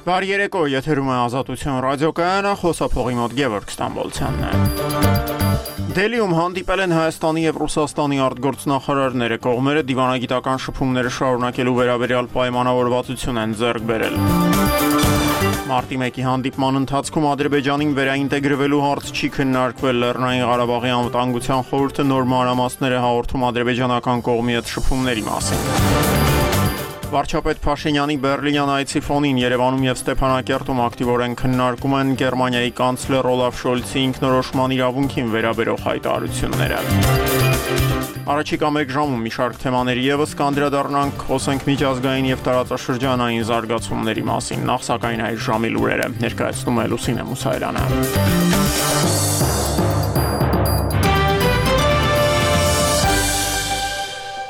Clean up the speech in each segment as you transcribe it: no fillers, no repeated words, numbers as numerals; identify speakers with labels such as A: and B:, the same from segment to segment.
A: Բարի երեկո, եթերում է Ազատություն ռադիոկայանը, խոսափողի մոտ Գևորգ Ստամբոլցյանն է։ Դելիում հանդիպել են Հայաստանի եւ Ռուսաստանի արտգործնախարարները, կողմերը դիվանագիտական շփումները շարունակելու վերաբերյալ պայմանավորվածություն են ձեռք բերել։ Մարտի 1-ի հանդիպման ընթացքում Ադրբեջանին վերաինտեգրվելու հարց չի քննարկվել, Լեռնային Ղարաբաղի անվտանգության խորհուրդը նոր մանրամասներ է հաղորդում ադրբեջանական կողմի հետ շփումների մասին։ Վարչապետ Փաշինյանի Բեռլինյան այցի ֆոնին Երևանում եւ Ստեփանակերտում ակտիվորեն քննարկում են Գերմանիայի կանցլեր Օլաֆ Շոլցի ինքնորոշման իրավունքին վերաբերող հայտարարությունները։ Առաջիկա 1 ժամում մի շարք թեմաների եւս կանդրադառնանք, խոսենք միջազգային եւ տարածաշրջանային զարգացումների մասին, նախ սակայն այս ժամի լուրերը ներկայացնում է Լուսինե Մուսայելյանը։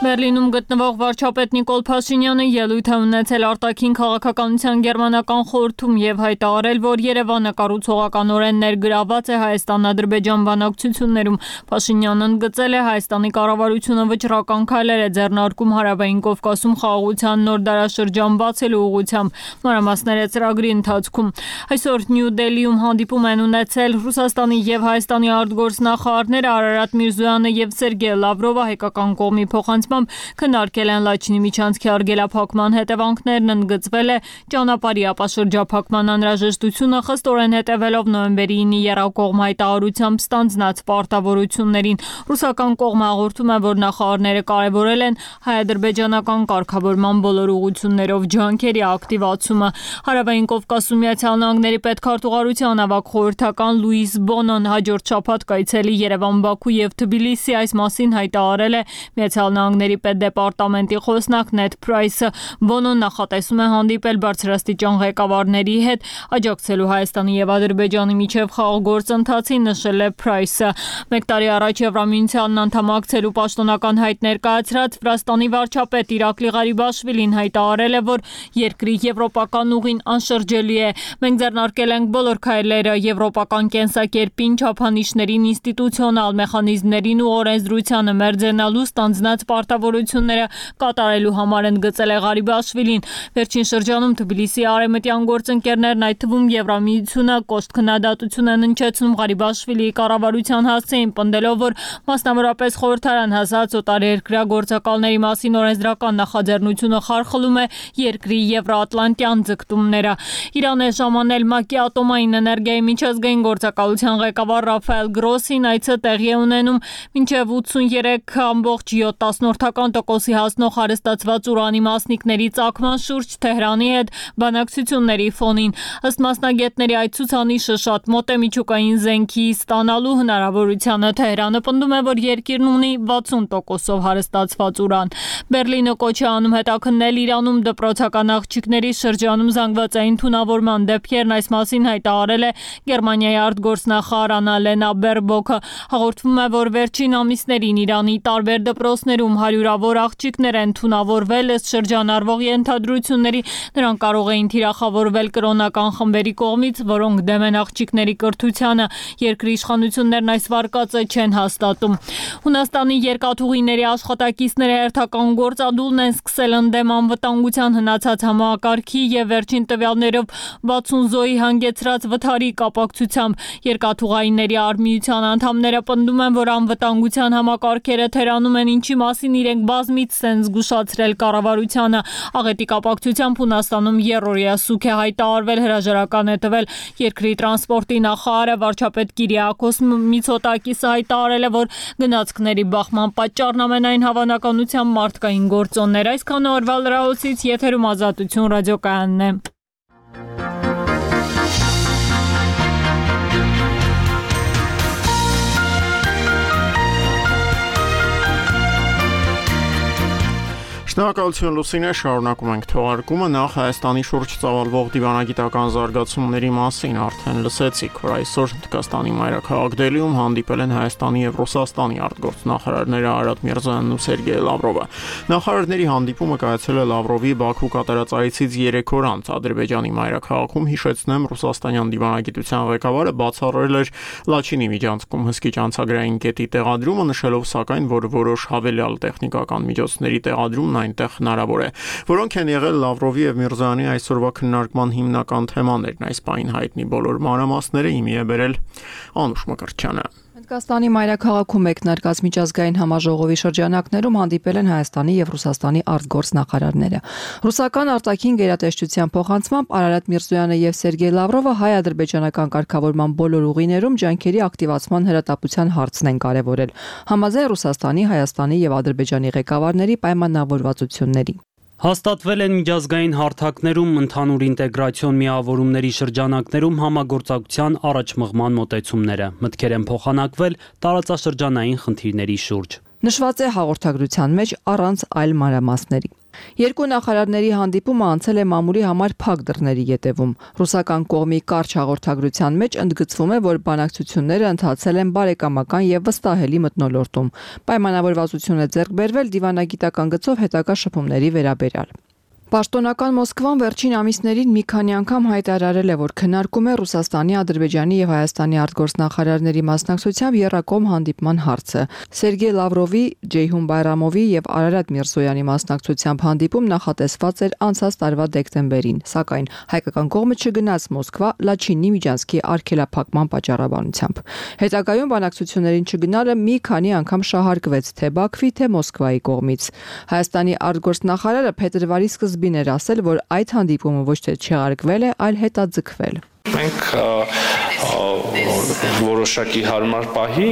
B: Բերլինում գտնվող վարչապետ Նիկոլ Փաշինյանը ելույթ է ունեցել արտաքին քաղաքականության գերմանական խորհրդում եւ հայտարարել, որ Երևանը կառուցողականորեն ներգրաված է Հայաստան-Ադրբեջան բանակցություններում։ Փաշինյանն ընդգծել է Հայաստանի կառավարությունը վճռական քայլեր է ձեռնարկում Հարավային Կովկասում խաղաղության նոր դարաշրջան բացելու ուղղությամբ, մանրամասները ծրագրի ընթացքում։ Այսօր Նյու Դելիում հանդիպում են ունեցել Ռուսաստանի եւ Հայաստանի արտգործնախարարները Արարատ Միրզոյանը եւ Սերգեյ Լավրովը, հայկական կողմի փոխանցմամբ քննարկել են Լաչինի միջանցքի արգելափակման հետևանքներն, ընդգծվել է ճանապարհի ապաշրջափակման անհրաժեշտությունը, խստորեն հետևելով նոյեմբերի 9-ի եռակողմ հայտարարությամբ ստանձնած պարտավորություններին։ Ռուսական կողմը հաղորդում է, որ նախարարները կարևորել են հայ-ադրբեջանական կարգավորման բոլոր ուղղություններով ջանքերի ակտիվացումը։ Հարավային Կովկասում Միացյալ Նահանգների պետքարտուղարության ավագ խորհրդական Լուիս Բոնոն հաջորդ շաբաթ կայցելի Երևան, Բաքու եւ Թբիլիսի, այս մասին հայտարարել է Միացյալ Նահանգների պետդեպարտամենտի խոսնակ Նեդ Փրայսը։ Բոնոն նախատեսում է հանդիպել բարձրաստիճան ղեկավարների հետ, աջակցելու Հայաստանի եւ Ադրբեջանի միջև խաղաղ գործընթացին, նշել է Փրայսը։ 1 տարի առաջ Եվրամիությանն անդամակցելու պաշտոնական հայտ ներկայացրած Վրաստանի վարչապետ Իրակլի Ղարիբաշվիլին հայտարարել է, որ երկրի եվրոպական ուղին անշրջելի է։ Մենք ձեռնարկել ենք բոլոր քայլերը եվրոպական կենսակերպին, չափանիշներին, ինստիտուցիոնալ մեխանիզմներին ու օրենսդրությանը մերձենալու ստանձնած պարտավորությունները կատարելու համար, ընդգծել է Ղարիբաշվիլին։ Վերջին շրջանում Թբիլիսի արևմտյան գործընկերներն, այդ թվում Եվրամիությունը, կոշտ քննադատություն են հնչեցնում Ղարիբաշվիլիի կառավարության հասցեին, պնդելով, որ մասնավորապես խորհրդարան հասած օտարերկրյա գործակալների մասին օրենսդրական նախաձեռնությունը խարխլում է երկրի եվրոատլանտյան ձգտումները։ Իրան է ժամանել ՄԱԿ-ի ատոմային էներգիայի միջազգային գործակալության ղեկավար Ռաֆայել Գրոսին, այցը տեղի է ունենում մինչև 83.7% հասնող հարստացված ուրանի մասնիկների ծագման շուրջ Թեհրանի հետ բանակցությունների ֆոնին։ Ըստ մասնագետների, այդ ցուցանիշը շատ մոտ է միջուկային զենքի ստանալու հնարավորությանը։ Թեհրանը պնդում է, որ երկիրն ունի 60%-ով հարստացված ուրան։ Բերլինը կոչ է անում հետաքննել Իրանում դպրոցական աղջիկների շրջանում զանգվածային թունավորման դեպքերն, այս մասին հայտարարել է Գերմանիայի արտգործնախարար Աննալենա Բերբոքը։ Հաղորդվում է, որ վերջին ամիսներին Իրանի տարբեր դպրոցներում հարյուրավոր աղջիկներ են թունավորվել, ըստ շրջանառվող ենթադրությունների նրանք կարող էին թիրախավորվել կրոնական խմբերի կողմից, որոնք դեմ են աղջիկների կրթությանը։ Երկրի իշխանություններն այս վարկածը չեն հաստատում։ Հունաստանի երկաթուղիների աշխատակիցները հերթական գործադուլն են սկսել ընդդեմ անվտանգության հնացած համակարգի եւ վերջին տվյալներով 60 զոհի հանգեցրած վթարի կապակցությամբ։ Երկաթուղայինների արմիության անդամները պնդում են, որ անվտանգության համակարգերը թերանում են, ինչի մասին իրենք բազմիցս են զգուշացրել կառավարությանը։ Աղետի կապակցությամբ Հունաստանում երրորդյա սուգ է հայտարարվել, հրաժարական է տվել երկրի տրանսպորտի նախարարը։ Վարչապետ Կիրիակոս Միցոտակիսը հայտարարել է, որ գնացքների բախման պատճառն ամենայն հավանականությամբ մարդկային գործոններ։ Այսքան օրվա լրահոսից, եթերում Ազատություն ռադիոկայանն է։
A: Շնորհակալություն Լուսինե, շարունակում ենք թողարկումը, նախ Հայաստանի շուրջ ծավալվող դիվանագիտական զարգացումների մասին արդեն լսեցիք, որ այսօր Հնդկաստանի մայրաքաղաք Դելիում հանդիպել են Հայաստանի եւ Ռուսաստանի արտգործնախարարները Արարատ Միրզոյանն ու Սերգեյ Լավրովը։ Նախարարների հանդիպումը կայացել է Լավրովի Բաքու կատարած այցից 3 օր անց Ադրբեջանի մայրաքաղաքում, հիշեցնեմ, ռուսաստանյան դիվանագիտության ղեկավարը բացառել էր Լաչինի միջանցքում հսկիչ անցագրային կետի տեղադրումը, նշելով սակայն, որ որոշ հավելյալ տեխնիկական միջոցների տեղադրումն այնտեղ հնարավոր է։ Որոնք են եղել Լավրովի եւ Միրզոյանի այսօրվա քննարկման հիմնական թեմաներն, այս պահին հայտնի բոլոր մանրամասները հիմի է բերել Անուշ Մկրտչյանը։
C: Հնդկաստանի մայրաքաղաքում մեկնարկած միջազգային համաժողովի շրջանակներում հանդիպել են Հայաստանի եւ Ռուսաստանի արտգործնախարարները։ Ռուսական արտաքին գերատեսչության փոխանցմամբ Արարատ Միրզոյանը եւ Սերգեյ Լավրովը հայ-ադրբեջանական կարգավորման բոլոր ուղիներում ջանքերի ակտիվացման հրատապության հարցն են կարևորել, համաձայն Ռուսաստանի, Հայաստանի եւ Ադրբեջանի ղեկավարների պայմանավորվածությունների։
D: Հաստատվել են միջազգային հարթակներում ընդհանուր ինտեգրացիոն միավորումների շրջանակներում համագործակցության առաջմղման մոտեցումները, մտքեր են փոխանակվել տարածաշրջանային խնդիրների շուրջ։
C: Նշված է հաղորդագրության մեջ առանց այլ մանրամասների։ Երկու նախարարների հանդիպումը անցել է մամուլի համար փակ դռների ետևում։ Ռուսական կողմի կարճ հաղորդագրության մեջ ընդգծվում է, որ բանակցությունները ընթացել են բարեկամական եւ վստահելի մթնոլորտում։ Պայմանավորվածություն է ձեռք բերվել դիվանագիտական գծով հետագա շփումների վերաբերյալ։ Պաշտոնական Մոսկվան վերջին ամիսներին մի քանի անգամ հայտարարել է, որ քննարկում է Ռուսաստանի, Ադրբեջանի եւ Հայաստանի արտգործնախարարների մասնակցությամբ եռակողմ հանդիպման հարցը։ Սերգեյ Լավրովի, Ջեյհուն Բայրամովի եւ Արարատ Միրզոյանի մասնակցությամբ հանդիպում նախատեսված էր անցած տարվա դեկտեմբերին, սակայն հայկական կողմը չգնաց Մոսկվա Լաչինի միջանցքի արգելափակման պատճառաբանությամբ։ Հետագայում բանակցություններին չգնալը մի քանի անգամ շահարկվեց թե Բաքվի, թե Մոսկվայի կողմից։ Հայաստանի արտգործնախարարը փետրվարի սկզբին էր ասել, որ այդ հանդիպումը ոչ թե չեղարկվել է, այլ հետաձգվել։
E: Մենք որոշակի հարմար պահի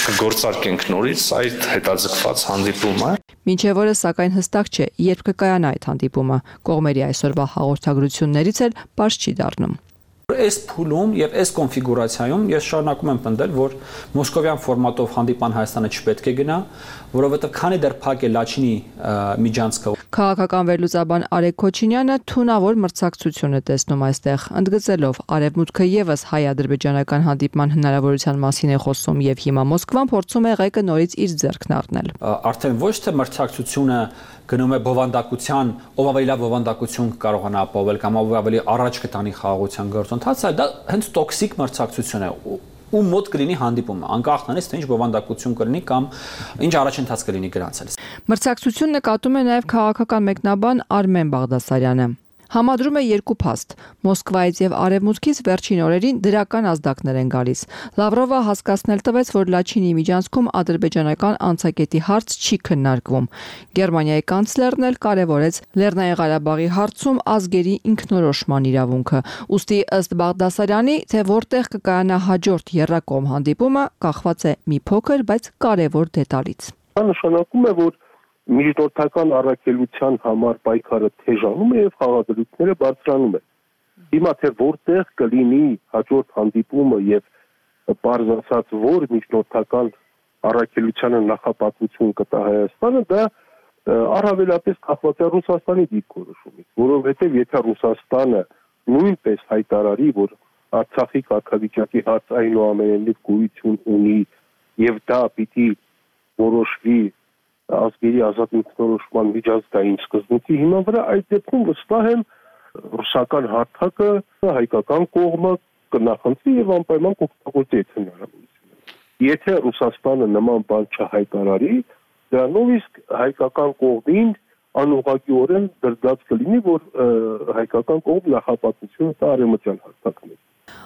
E: կգործարկենք նորից այդ հետաձգված հանդիպումը։
C: Մինչև օրս սակայն հստակ չէ, երբ կկայանա այդ հանդիպումը։ Կողմերի այսօրվա հաղորդագրություններից էլ պարզ չի դառնում։
F: Այս փուլում եւ այս կոնֆիգուրացիայում ես շարունակում եմ պնդել, որ մոսկովյան ֆորմատով հանդիպան Հայաստանը չպետք է գնա, որովհետեւ քանի դեռ փակ է Լաչինի միջանցքը։
C: Քաղաքական վերլուծաբան Արեգ Քոչինյանը թունավոր մրցակցություն է տեսնում այստեղ, ընդգծելով Արևմուտքը եւս հայ-ադրբեջանական հանդիպման հնարավորության մասին է խոսում եւ հիմա Մոսկվան փորձում է ղեկը նորից իր ձեռքն առնել։
F: Արդեն ոչ թե մրցակցությունը գնում է բովանդակության, ով ավելի լավ բովանդակություն կարողանա ապահովել կամ ով ավելի առաջ կտանի խաղաղության գործընթացը, դա հենց տոքսիկ մրցակցություն է, ու մոտ կլինի հանդիպումը, անկախ նրանից, թե ինչ բովանդակություն կլինի կամ ինչ առաջընթաց կլինի գրանցել։
C: Մրցակցություն նկատում է նաև քաղաքական մեկնաբան Արմեն Բաղդասարյանը։ Համադրում է երկու փաստ։ Մոսկվայից եւ Արևմուտքից վերջին օրերին դրական ազդակներ են գալիս։ Լավրովը հասկացնել տվեց, որ Լաչինի միջանցքում ադրբեջանական անցակետի հարց չի քննարկվում։ Գերմանիայի կանցլերն էլ կարևորեց Լեռնային Ղարաբաղի հարցում ազգերի ինքնորոշման իրավունքը։ Ուստի ըստ Բաղդասարյանի, թե որտեղ կկայանա հաջորդ եռակողմ հանդիպումը, կախված է մի փոքր, բայց կարևոր դետալից։
G: Դա նշանակում է, որ միջնորդական առաքելության համար պայքարը թեժանում է եւ խաղադրույքները բարձրանում են։ Հիմա թե որտեղ կլինի հաջորդ հանդիպումը եւ բարձրացած որ միջնորդական առաքելությանը նախապատվություն կտա Հայաստանը, դա առավելապես կախված է Ռուսաստանի դիրքորոշումից, որովհետեւ եթե Ռուսաստանը նույնպես հայտարարի, որ Արցախի կարգավիճակի հարց այնուամենայնիվ գոյություն ունի եւ դա պիտի որոշվի ազգերի ազատ ինքնորոշման միջազգային սկզբունքի հիման վրա, այդ դեպքում վստահ եմ ռուսական հարթակը հայկական կողմը կնախընտրի եւ անպայման կօգտագործի այդ հնարավորությունը։ Եթե Ռուսաստանը նման բան չհայտարարի, դրանով իսկ հայկական կողմին անուղղակիորեն դրդած կլինի, որ հայկական կողմ նախապատվություն տա արևմտյան հարթակներին։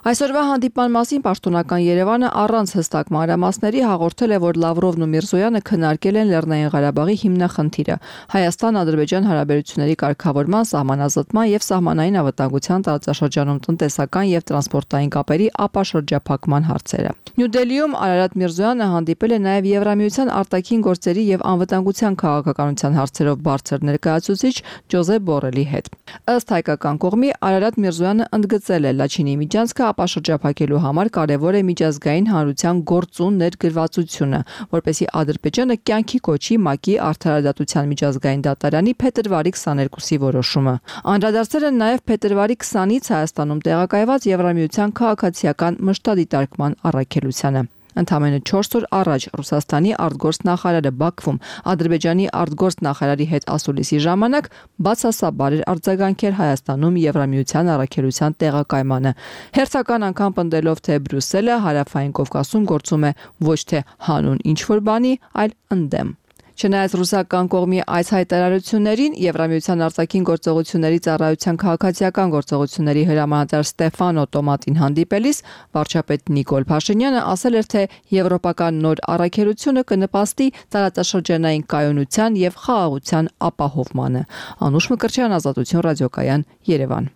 C: Այսօրվա հանդիպման մասին պաշտոնական Երևանը առանց հստակ մանրամասների հաղորդել է, որ Լավրովն ու Միրզոյանը քննարկել են Լեռնային Ղարաբաղի հիմնախնդիրը՝ Հայաստան-Ադրբեջան հարաբերությունների կարգավորման, սահմանազատման եւ սահմանային անվտանգության տարածաշրջանում տնտեսական եւ տրանսպորտային կապերի ապաշրջափակման հարցերը։ Նյու Դելիում Արարատ Միրզոյանը հանդիպել է նաեւ Եվրամիության արտաքին գործերի եւ անվտանգության քաղաքականության հարցերով բարձր ներկայացուցիչ Ջոզեփ Բորելի հետ։ Ըստ հայկական կողմի Արարատ Միրզոյանը ընդգծել է Լաչինի միջանցքը ապաշրջափակելու համար կարևոր է միջազգային հանրության գործուն ներգրավվածությունը, որպեսզի Ադրբեջանը կյանքի կոչի ՄԱԿ-ի արդարադատության միջազգային դատարանի փետրվարի 22-ի որոշումը։ Անդրադարձել են նաև փետրվարի 20-ից Հայաստանում տեղակայված Եվրամիության քաղաքացիական մշտադիտարկման առաքելությանը։ Ընդամենը 4 օր առաջ Ռուսաստանի արտգործնախարարը Բաքվում Ադրբեջանի արտգործնախարարի հետ ասուլիսի ժամանակ բացասաբար էր արձագանքել Հայաստանում Եվրամիության առաքելության տեղակայմանը, հերթական անգամ պնդելով, թե Բրյուսելը Հարավային Կովկասում գործում է ոչ թե հանուն ինչ-որ բանի, այլ ընդդեմ։ Չնայած ռուսական կողմի այս հայտարարություններին Եվրամիության արտաքին գործողությունների ծառայության քաղաքացիական գործողությունների հրամանատար Ստեֆանո Տոմատին հանդիպելիս վարչապետ Նիկոլ Փաշինյանը ասել էր, թե եվրոպական նոր առաքելությունը կնպաստի տարածաշրջանային կայունության եւ խաղաղության ապահովմանը։ Անուշ Մկրտչյան, Ազատություն ռադիոկայան, Երևան։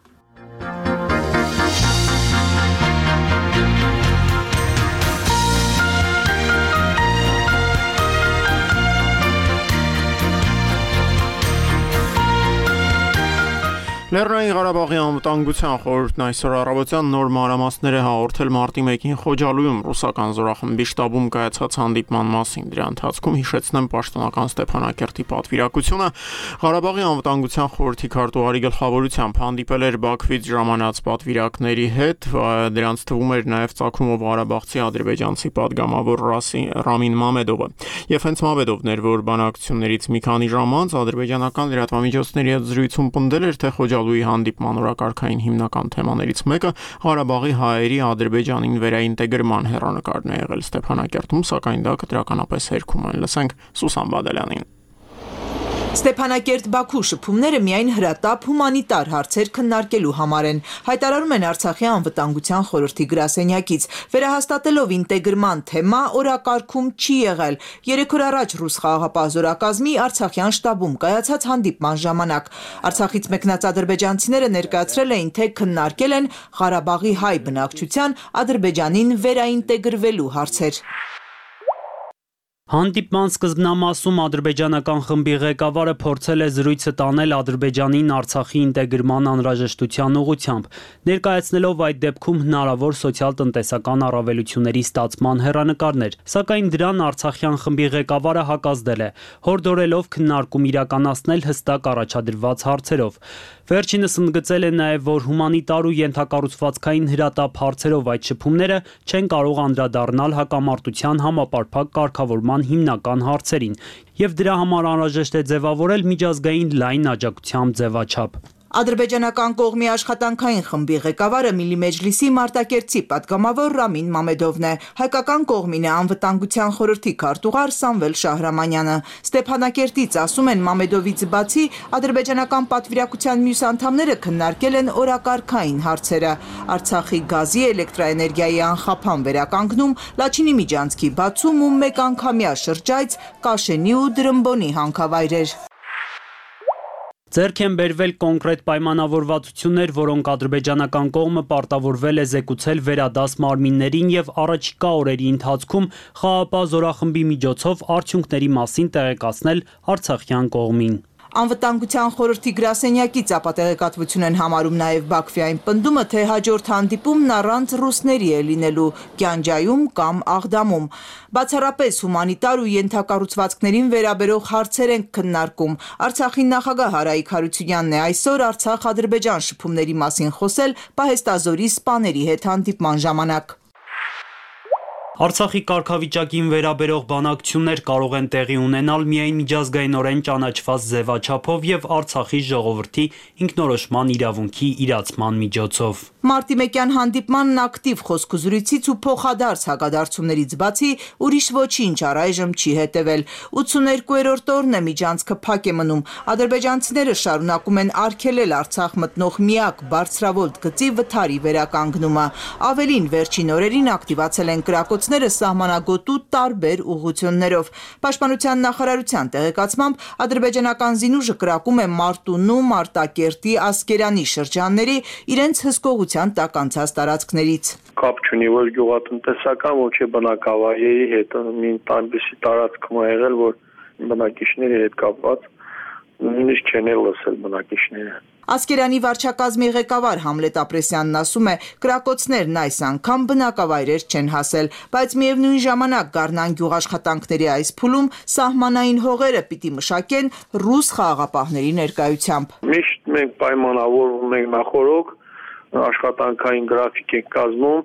A: Լեռնային Ղարաբաղի անվտանգության խորհուրդն այսօր առավոտյան նոր մանրամասներ է հաղորդել մարտի 1-ին Խոջալույում ռուսական զորախմբի շտաբում կայացած հանդիպման մասին։ Դրա ընթացքում հիշեցնեմ պաշտոնական Ստեփանակերտի պատվիրակությունը Ղարաբաղի անվտանգության խորհրդի քարտուղարի գլխավորությամբ հանդիպել էր Բաքվից ժամանած պատվիրակների հետ, դրանց թվում էր նաև Ծագումով ղարաբաղցի ադրբեջանցի падգամավոր Ռամին Մամեդովը։ Եվ հենց Մամեդովն էր, որ բանակցություններից մի քանի ժամ անց ադրբեջանական լրատվամիջոցների հետ զրույցում պնդել էր, թե Խոջալույի հանդիպման օրակարգային հիմնական թեմաներից մեկը Ղարաբաղի հայերի Ադրբեջանին վերաինտեգրման հեռանկարն է եղել Ստեփանակերտում, սակայն դա կտրականապես հերքում են։ Լսենք Սուսան Բադալյանին։
H: Ստեփանակերտ-Բաքու շփումները միայն հրատապ հումանիտար հարցեր քննարկելու համար են, հայտարարում են Արցախի անվտանգության խորհրդի գրասենյակից, վերահաստատելով ինտեգրման թեմա օրակարգում չի եղել 3 օր առաջ ռուս խաղաղապահ զորակազմի Արցախյան շտաբում կայացած հանդիպման ժամանակ։ Արցախից մեկնած ադրբեջանցիները ներկայացրել էին, թե քննարկել են Ղարաբաղի հայ բնակչության Ադրբեջանին վերաինտեգրվելու հարցեր։
D: Հանդիպման սկզբնամասում ադրբեջանական խմբի ղեկավարը փորձել է զրույցը տանել Ադրբեջանին Արցախի ինտեգրման անհրաժեշտության ուղղությամբ, ներկայացնելով այդ դեպքում հնարավոր սոցիալ-տնտեսական առավելությունների ստացման հեռանկարներ, սակայն դրան արցախյան խմբի ղեկավարը հակազդել է, հորդորելով քննարկում իրականացնել հստակ առաջադրված հարցերով։ Վերջինս ընդգծել է նաև, որ հումանիտար ու ենթակառուցվածքային հրատապ հարցերով այդ շփումները չեն կարող անդրադառնալ հակամարտության համապարփակ կարգավորման հիմնական հարցերին, եւ դրա համար անհրաժեշտ է ձևավորել միջազգային լայն աջակցությամբ ձևաչափ։
H: Ադրբեջանական կողմի աշխատանքային խմբի ղեկավարը Միլի Մեջլիսի Մարտակերտի падգամավոր Ռամին Մամեդովն է, հայկական կողմին է անվտանգության խորհրդի քարտուղար Սամվել Շահրամանյանը։ Ստեփանակերտից ասում են Մամեդովից բացի ադրբեջանական պատվիրակության մյուս անդամները քննարկել են օրակարգային հարցերը։ Արցախի գազի, էլեկտրաէներգիայի անխափան վերականգնում, Լաչինի միջանցքի բացում ու մեկանգամյա շրջայց, Կաշենի ու Դրմբոնի հանքավայրեր։
D: Ձեռք են բերվել կոնկրետ պայմանավորվածություններ, որոնք ադրբեջանական կողմը պարտավորվել է զեկուցել վերադաս մարմիններին եւ առաջիկա օրերի ընթացքում խաղաղապահ զորախմբի միջոցով արդյունքների մասին տեղեկացնել արցախյան կողմին։
H: Անվտանգության խորհրդի գրասենյակից ապատեղեկատվություն են համարում նաև Բաքվի այն պնդումը, թե հաջորդ հանդիպումն առանց ռուսների է լինելու Գյանջայում կամ Աղդամում։ Բացառապես հումանիտար ու ենթակառուցվածքներին վերաբերող հարցեր են քննարկում։ Արցախի նախագահ Հարայիկ Հարությունյանն է այսօր Արցախ-Ադրբեջան շփումների մասին խոսել Պահեստազորի սպաների հետ հանդիպման ժամանակ։
D: Արցախի կարգավիճակին վերաբերող բանակցություններ կարող են տեղի ունենալ միայն միջազգայինորեն ճանաչված ձևաչափով եւ Արցախի ժողովրդի ինքնորոշման իրավունքի իրացման միջոցով։
H: Մարտի 1-յան հանդիպմանն ակտիվ խոսքուզրույցից ու փոխադարձ հակադարձումներից բացի ուրիշ ոչինչ առայժմ չի հետևել։ 82-րդ օրն է միջանցքը փակ է մնում։ Ադրբեջանցիները շարունակում են արգելել Արցախ մտնող միակ բարձրավոլտ գծի վթարի վերականգնումը։ Ավելին, վերջին օրերին ակտիվացել են կրակոցները սահմանագոտու տարբեր ուղղություններով։ Պաշտպանության նախարարության տեղեկացմամբ ադրբեջանական զինուժը կրակում է Մարտունու, Մարտակերտի, Ասկերանի շրջանների իրենց հսկողության տակ անցած տարածքներից։
I: Կապ չունի ոչ գյուղատնտեսական, ոչ բնակավայրերի հետ, մի այնպիսի տարածքում է եղել, որ բնակիչների հետ կապված նույնիսկ չեն լսել բնակիչները։
H: Ասկերանի վարչակազմի ղեկավար Համլետ Ապրեսյանն ասում է, կրակոցներն այս անգամ բնակավայրեր չեն հասել, բայց միևնույն ժամանակ Գառնան գյուղաշխատանքների այս փուլում սահմանային հողերը պիտի մշակեն ռուս խաղաղապահների ներկայությամբ։
I: Միշտ մենք պայմանավորվում ենք նախորոք, աշխատանքային գրաֆիկ ենք կազմում,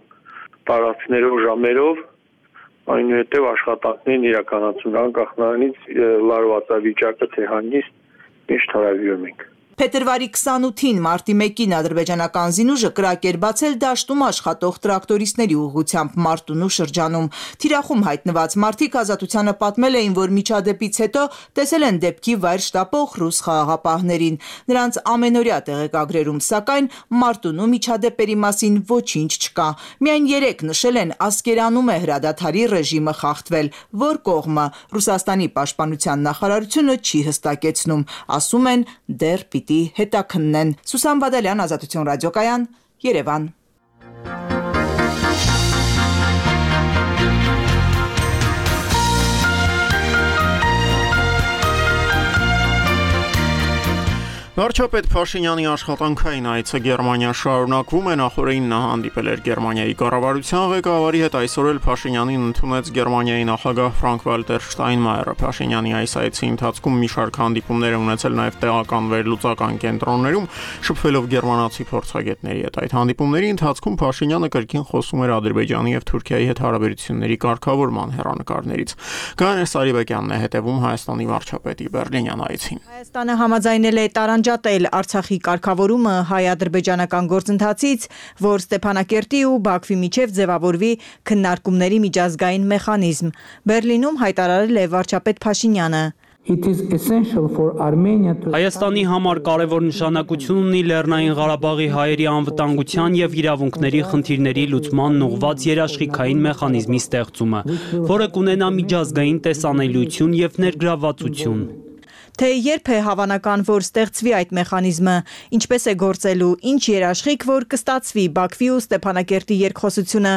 I: տարածքներով, ժամերով, այնուհետև աշխատանքներն իրականացում անկախ նրանից լարվածավիճակը թե հանգիստ միշտ հարավիրում ենք։
H: Փետրվարի 28-ին մարտի 1-ին ադրբեջանական զինուժը կրակ էր բացել դաշտում աշխատող տրակտորիստների ուղղությամբ Մարտունու շրջանում։ Թիրախում հայտնված մարդիկ Ազատությանը պատմել էին, որ միջադեպից հետո տեսել են դեպքի վայր շտապող ռուս խաղաղապահներին։ Նրանց ամենօրյա տեղեկագրերում, սակայն Մարտունու միջադեպերի մասին ոչինչ չկա։ Միայն 3 նշել են Ասկերանում է հրադադարի ռեժիմը խախտվել, որ կողմը Ռուսաստանի պաշտպանության նախարարությունը չի հստակեցնում, ասում են դեռ պիտի հետաքննեն։ Սուսան Բադալյան, Ազատություն ռադիոկայան, Երևան։
A: Վարչապետ Փաշինյանի աշխատանքային այցը Գերմանիա շարունակվում է, նախորդին նա հանդիպել էր Գերմանիայի կառավարության ղեկավարի հետ, այսօր էլ Փաշինյանին ընդունեց Գերմանիայի նախագահ Ֆրանկ-Վալտեր Շտայնմայերը։ Փաշինյանի այս այցի ընթացքում մի շարք հանդիպումներ ունեցել նաև տեղական վերլուծական կենտրոններում, շփվելով գերմանացի փորձագետների հետ։ Այդ հանդիպումների ընթացքում Փաշինյանը կրկին խոսում էր Ադրբեջանի եւ Թուրքիայի հետ հարաբերությունների կարգավորման հեռանկարներից։ Գաներ Սարիբեկյանն է հետևում Հայաստանի վարչապետի Բեռլինյան այցին։
J: Հայաստանը համաձայնել է տարանջատել Արցախի կարգավորումը հայ-ադրբեջանական գործընթացից, որ Ստեփանակերտի ու Բաքվի միջև ձևավորվի քննարկումների միջազգային մեխանիզմ։ Բեռլինում հայտարարել է վարչապետ Փաշինյանը։
D: Հայաստանի համար կարևոր նշանակություն ունի Լեռնային Ղարաբաղի հայերի անվտանգության եւ իրավունքների խնդիրների լուծման ուղղված երաշխիքային մեխանիզմի ստեղծումը, որը կունենա միջազգային տեսանելիություն եւ ներգրավվածություն։
J: Թե երբ է հավանական, որ ստեղծվի այդ մեխանիզմը, ինչպես է գործելու, ինչ երաշխիք, որ կստացվի Բաքվի ու Ստեփանակերտի երկխոսությունը,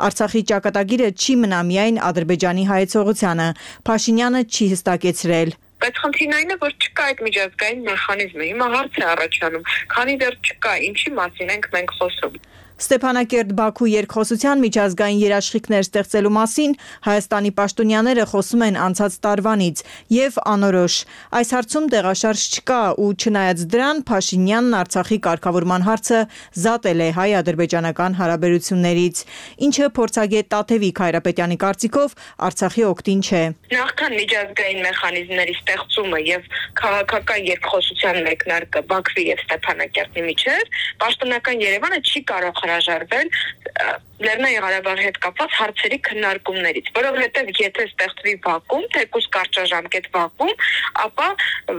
J: Արցախի ճակատագիրը չի մնա միայն Ադրբեջանի հայեցողությանը, Փաշինյանը չի հստակեցրել։
K: Բայց խնդիրն այն է, որ չկա այդ միջազգային մեխանիզմը։ Հիմա հարց է առաջանում, քանի դեռ չկա, ինչի մասին ենք մենք խոսում։
J: Ստեփանակերտ-Բաքու երկխոսության միջազգային երաշխիքներ ստեղծելու մասին Հայաստանի պաշտոնյաները խոսում են անցած տարվանից եւ անորոշ։ Այս հարցում տեղաշարժ չկա ու չնայած դրան Փաշինյանն Արցախի կարգավորման հարցը զատել է հայ-ադրբեջանական հարաբերություններից, ինչը փորձագետ Տաթևիկ Հայրապետյանի կարծիքով Արցախի օգտին չէ։
K: Նախքան միջազգային մեխանիզմների ստեղծումը եւ քաղաքական երկխոսության մեկնարկը Բաքվի եւ Ստեփանակերտի միջեւ պաշտոնական Երևանը չի կարող հրաժարվել Լեռնային Ղարաբաղի հետ կապված հարցերի քննարկումներից, որովհետև եթե ստեղծվի վակուում, թեկուզ կարճաժամկետ վակուում, ապա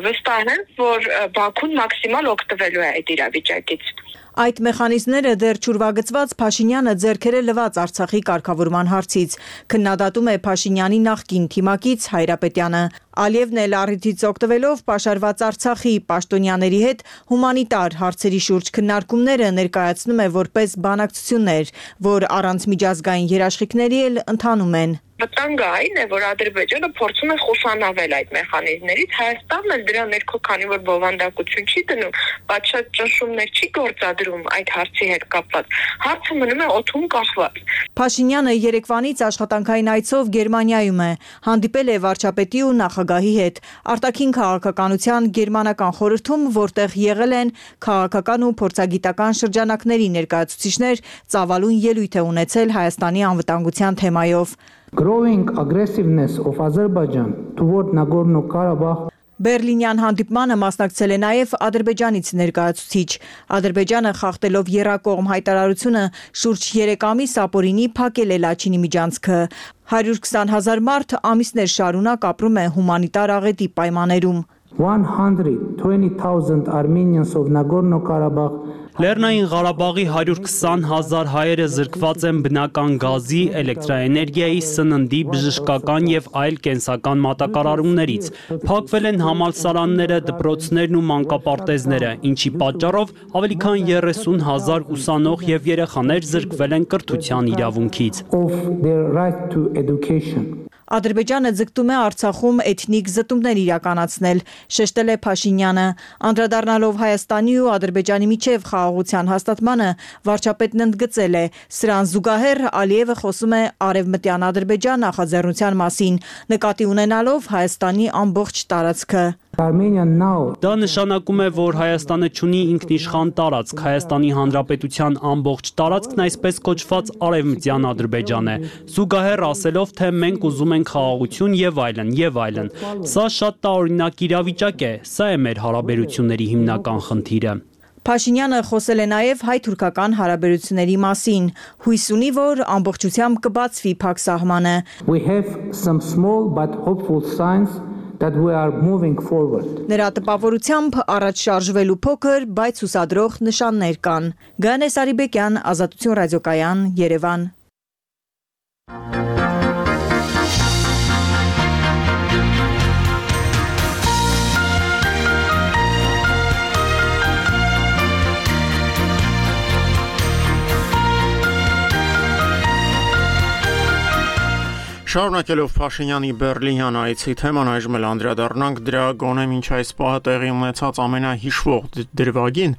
K: վստահ եմ, որ Բաքուն մաքսիմալ օգտվելու է այդ իրավիճակից։
J: Այդ մեխանիզմները դեռ չուրվագծված Փաշինյանը ձեռքերը լված Արցախի կարգավորման հարցից, քննադատում է Փաշինյանի նախկին թիմակից Հայրապետյանը։ Ալիևն էլ առիթից օգտվելով պաշարված Արցախի պաշտոնյաների հետ հումանիտար հարցերի շուրջ քննարկումները ներկայացնում է որպես բանակցություններ, որ առանց միջազգային երաշխիքների էլ ընթանում են։
K: Վտանգը այն է, որ Ադրբեջանը փորձում է խուսանավել այդ մեխանիզմներից, Հայաստանն էլ դրա ներքո, քանի որ բովանդակություն չի դնում, պատշաճ ճնշումներ չի գործադրում այդ հարցի հետ կապված, հարցը մնում է օդում կախված։
J: Փաշինյանը երեկվանից աշխատանքային այցով Գերմանիայում է, հանդիպել է վարչապետի ու նախագահի հետ, արտաքին քաղաքականության գերմանական խորհրդում, որտեղ եղել են քաղաքական ու փորձագիտական շրջանակների ներկայացուցիչներ, ծավալուն ելույթ է ունեցել Հայաստանի անվտանգության թեմայով։
L: Growing aggressiveness of Azerbaijan toward Nagorno-Karabakh
J: Բեռլինյան հանդիպմանը մասնակցել է նաև Ադրբեջանից ներկայացուցիչ։ Ադրբեջանը խախտելով եռակողմ հայտարարությունը շուրջ 3 ամիս ապօրինի փակել է Լաչինի միջանցքը։ 120,000 մարդ ամիսներ շարունակ ապրում է հումանիտար աղետի պայմաններում։
L: 120,000 Armenians of Nagorno-Karabakh
D: Լեռնային Ղարաբաղի 120,000 հայերը զրկված են բնական գազի, էլեկտրաէներգիայի, սննդի, բժշկական եւ այլ կենսական մատակարարումներից։ Փակվել են համալսարանները, դպրոցներն ու մանկապարտեզները, ինչի պատճառով ավելի քան 30,000 ուսանող եւ երեխաներ զրկվել են կրթության իրավունքից։
J: Ադրբեջանը ձգտում է Արցախում էթնիկ զտումներ իրականացնել, շեշտել է Փաշինյանը, անդրադառնալով Հայաստանի ու Ադրբեջանի միջև խաղաղության հաստատմանը, վարչապետն ընդգծել է, սրան զուգահեռ Ալիևը խոսում է Արևմտյան Ադրբեջան նախաձեռնության մասին, նկատի ունենալով Հայաստանի ամբողջ տարածքը։
L: Armenia now
D: Դա նշանակում է, որ Հայաստանը չունի ինքնիշխան տարածք, Հայաստանի Հանրապետության ամբողջ տարածքն այսպես կոչված արևմտյան Ադրբեջան է։ Զուգահեռ ասելով, թե մենք ուզում ենք խաղաղություն եւ այլն, եւ այլն։ Սա շատ տարօրինակ իրավիճակ է, սա է մեր հարաբերությունների հիմնական խնդիրը։
J: Փաշինյանը խոսել է նաև հայ-թուրքական հարաբերությունների մասին, հույս ունի, որ ամբողջությամբ կբացվի փակ սահմանը։
L: we have some small but hopeful signs that we are moving forward.
J: Նրա տպավորությամբ առաջ շարժվելու փոքր, բայց հուսադրող նշաններ կան։ Գանե Սարիբեկյան, Ազատություն ռադիոկայան, Երևան։
A: Շարունակելով Փաշինյանի Բերլինյան այցի թեման այժմ էլ անդրադառնանք դրա գոնե մինչ այս պահը տեղի ունեցած ամենահիշվող դրվագին։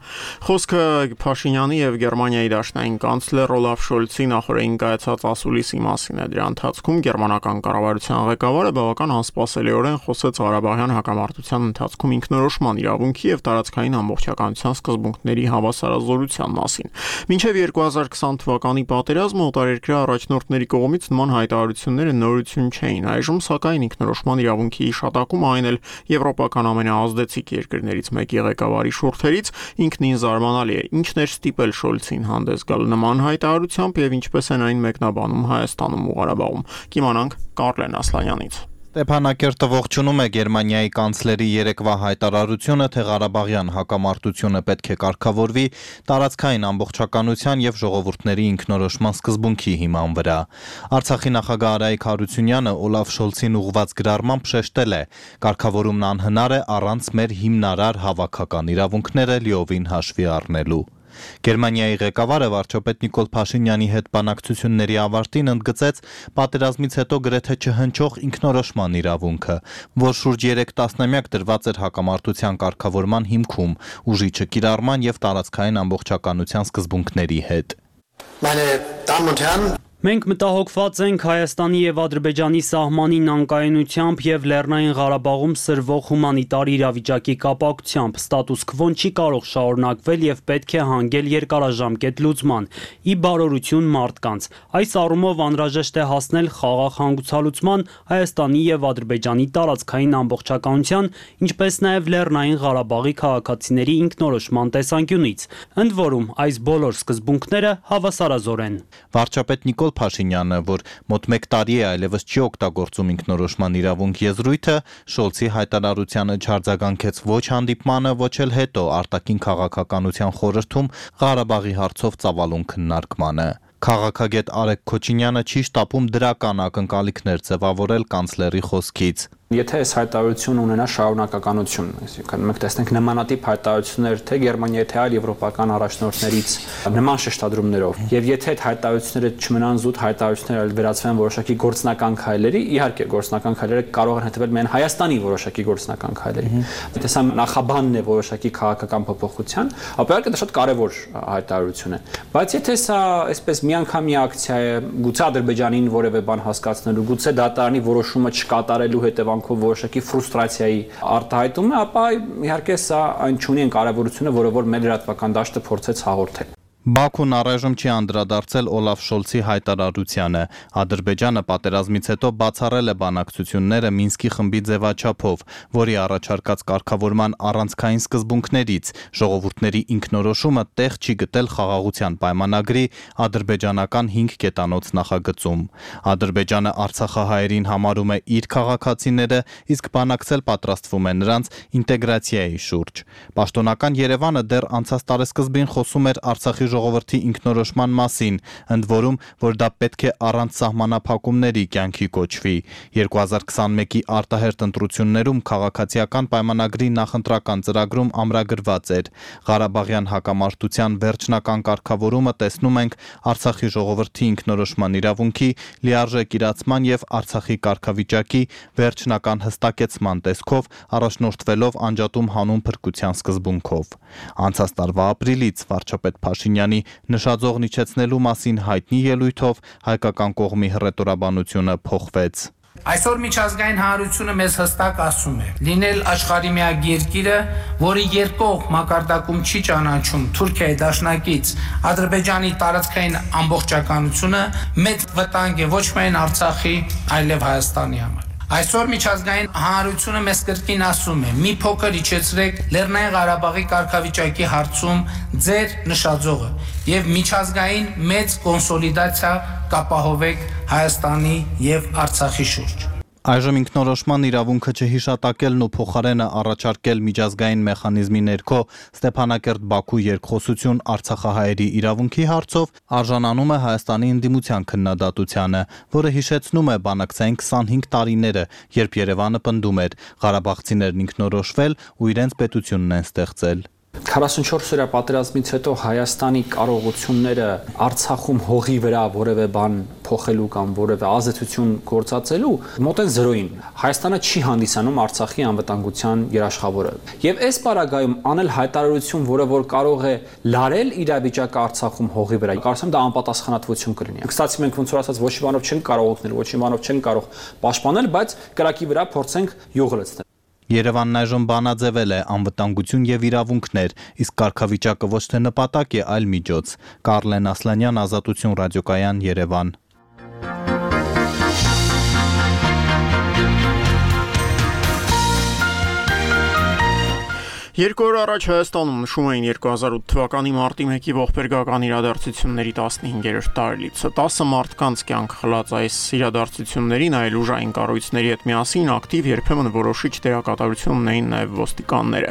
A: Խոսքը Փաշինյանի եւ Գերմանիայի դաշնային կանցլեր Օլաֆ Շոլցի նախորդին կայացած ասուլիսի մասին է։ Դրա ընթացքում գերմանական կառավարության ղեկավարը բավական անսպասելիորեն խոսեց Ղարաբաղյան հակամարտության ընթացքում ինքնորոշման իրավունքի եւ տարածքային ամբողջականության սկզբունքների հավասարազորության մասին։ Մինչեւ 2020 թվականի պատերազմը օտարերկրյա առաջնորդների կողմից նման հայտարարությունները նորություն չէին, այժմ սակայն ինքնորոշման իրավունքի իշատակում այն էլ եվրոպական ամենաազդեցիկ երկրներից մեկի ղեկավարի շուրթերից ինքնին զարմանալի է, ինչն էր ստիպել Շոլցին հանդես գալ նման հայտարարությամբ եւ ինչպես են այն մեկնաբանում Հայաստանում ու Ղարաբաղում։ Կիմանանք Կարլեն Ասլանյանից։
M: Ստեփանակերտը ողջունում է Գերմանիայի կանցլերի երեկվա հայտարարությունը, թե Ղարաբաղյան հակամարտությունը պետք է կարգավորվի տարածքային ամբողջականության եւ ժողովուրդների ինքնորոշման սկզբունքի հիման վրա։ Արցախի նախագահ Արայիկ Հարությունյանը Օլաֆ Շոլցին ուղղված գրառմամբ շեշտել է. կարգավորումն անհնար է առանց մեր հիմնարար հավաքական իրավունքները լիովին հաշվի առնելու։ Գերմանիայի ղեկավարը վարչապետ Նիկոլ Փաշինյանի հետ բանակցությունների ավարտին ընդգծեց պատերազմից հետո գրեթե չհնչող ինքնորոշման իրավունքը, որ շուրջ 3 տասնամյակ դրված էր հակամարտության կարգավորման հիմքում, ուժի չկիրառման եւ տարածքային ամբողջականության սկզբունքների հետ։
D: Մենք մտահոգված ենք Հայաստանի եւ Ադրբեջանի սահմանին անկայունությամբ եւ Լեռնային Ղարաբաղում սրվող հումանիտար իրավիճակի կապակցությամբ ստատուս քվոն չի կարող շարունակվել եւ պետք է հանգել երկարաժամկետ լուծման՝ ի բարօրություն մարդկանց։ Այս առումով անհրաժեշտ է հասնել խաղաղ հանգուցալուծման Հայաստանի եւ Ադրբեջանի տարածքային ամբողջականության, ինչպես նաեւ Լեռնային Ղարաբաղի քաղաքացիների ինքնորոշման տեսանկյունից։ Ընդ որում, այս բոլոր սկզբունքները հավասարազոր են։
M: Վարչապետ Նիկոլ Փաշինյանը, որ մոտ 1 տարի է այլևս չի օգտագործում ինքնորոշման իրավունք եզրույթը, Շոլցի հայտարարությանը չարձագանքեց ոչ հանդիպմանը, ոչ էլ հետո արտաքին քաղաքականության խորհրդում Ղարաբաղի հարցով ծավալուն քննարկմանը։ Քաղաքագետ Արեգ Քոչինյանը չի շտապում դրական ակնկալիքներ ձևավորել կանցլերի խոսքից։
F: Եթե այս հայտարարությունը ունենա շարունակականություն, այսինքն մենք տեսնենք նմանատիպ հայտարարություններ թե Գերմանիայի, թե այլ եվրոպական առաջնորդներից նման շեշտադրումներով, եւ եթե այդ հայտարարությունները չմնան զուտ հայտարարություններ, այլ վերածվեն որոշակի գործնական քայլերի, իհարկե գործնական քայլերը կարող են հետևել միայն Հայաստանի որոշակի գործնական քայլերի։ Եթե սա նախաբանն է որոշակի քաղաքական փոփոխության, ապա իհարկե դա շատ կարևոր հայտարարություն է։ Բայց եթե սա այսպես միանգամյա ակցիա է, գուցե Ադրբեջանին որևէ բան հասկացնելու, գուցե դատարանի որոշումը չկատարելու հետևանքով որոշակի ֆրուստրացիայի արտահայտումը, ապա իհարկե սա այն չունի այն կարևորությունը, որը որ մեր լրատվական դաշտը փորձեց հաղորդել։
M: Բաքուն առայժմ չի անդրադարձել Օլաֆ Շոլցի հայտարարությանը։ Ադրբեջանը պատերազմից հետո բացառել է բանակցությունները Մինսկի խմբի ձևաչափով, որի առաջարկած կարգավորման առանցքային սկզբունքներից ժողովուրդների ինքնորոշումը տեղ չի գտել խաղաղության պայմանագրի ադրբեջանական 5 կետանոց նախագծում։ Ադրբեջանը արցախահայերին համարում է իր քաղաքացիները, իսկ բանակցել պատրաստվում է նրանց ինտեգրացիայի շուրջ։ Պաշտոնական Երևանը դեռ անցած տարեսկզբին խոսում էր Արցախի ժողովրդի ինքնորոշման մասին, ընդ որում, որ դա պետք է առանց սահմանափակումների կյանքի կոչվի։ 2021-ի արտահերթ ընտրություններում քաղաքացիական պայմանագրի նախընտրական ծրագրում ամրագրված էր. Ղարաբաղյան հակամարտության վերջնական կարգավորումը տեսնում ենք Արցախի ժողովրդի ինքնորոշման իրավունքի, լիարժեք իրացման եւ Արցախի կարգավիճակի վերջնական հստակեցման տեսքով, առաջնորդվելով անջատում հանուն փրկության սկզբունքով։ Անցած տարվա ապրիլից վարչապետ Փաշինյանի նշաձողն իջեցնելու մասին հայտնի ելույթով հայկական կողմի հռետորաբանությունը փոխվեց։
L: Այսօր միջազգային հանրությունը մեզ հստակ ասում է. լինել աշխարհի միակ երկիրը, որի երկկողմ մակարդակում չի ճանաչում Թուրքիայի դաշնակից Ադրբեջանի տարածքային ամբողջականությունը, մեծ վտանգ է ոչ միայն Արցախի, այլև Հայաստանի համար։ Այսօր միջազգային հանրությունը մեզ կրկին ասում է. մի փոքր իջեցրեք Լեռնային Ղարաբաղի կարգավիճակի հարցում ձեր նշաձողը եւ միջազգային մեծ կոնսոլիդացիա կապահովեք Հայաստանի եւ Արցախի շուրջ։
M: Այժմ ինքնորոշման իրավունքը չհիշատակելն ու փոխարենը առաջարկել միջազգային մեխանիզմի ներքո Ստեփանակերտ-Բաքու երկխոսություն Արցախահայերի իրավունքի հարցով արժանանում է Հայաստանի ընդդիմության քննադատությանը, որը հիշեցնում է բանակցային 25 տարիները, երբ Երևանը պնդում էր ղարաբաղցիներն ինքնորոշվել ու իրենց պետությունն են ստեղծել։
F: 44-օրյա պատերազմից հետո Հայաստանի կարողությունները Արցախում հողի վրա որևէ բան փոխելու կամ որևէ ազդեցություն գործածելու մոտ են 0-ին։ Հայաստանը չի հանդիսանում Արցախի անվտանգության երաշխավորը։ Եվ այս պարագայում անել հայտարարություն, որը որ կարող է լարել իրավիճակը Արցախում հողի վրա, կարծեմ դա անպատասխանատվություն կլինի։ Կստացի մենք ոնց որ ասած ոչ մի բանով չեն կարող օգնել, ոչ մի բանով չեն կարող պաշտպանել, բայց կրակի վրա փորձենք յուղ լցնել։
M: Երևանն այժմ բանաձևել է անվտանգություն եւ իրավունքներ, իսկ կարգավիճակը ոչ թե նպատակ է, այլ միջոց։ Կարլեն Ասլանյան, Ազատություն ռադիոկայան, Երևան։
A: Երկու օր առաջ Հայաստանում նշում էին 2008 թվականի մարտի 1-ի ողբերգական իրադարձությունների 15-րդ տարելիցը։ 10 մարդկանց կյանք խլած այս իրադարձություններին այլ ուժային կառույցների հետ միասին ակտիվ երբեմն որոշիչ դերակատարություն ունեին նաև ոստիկանները։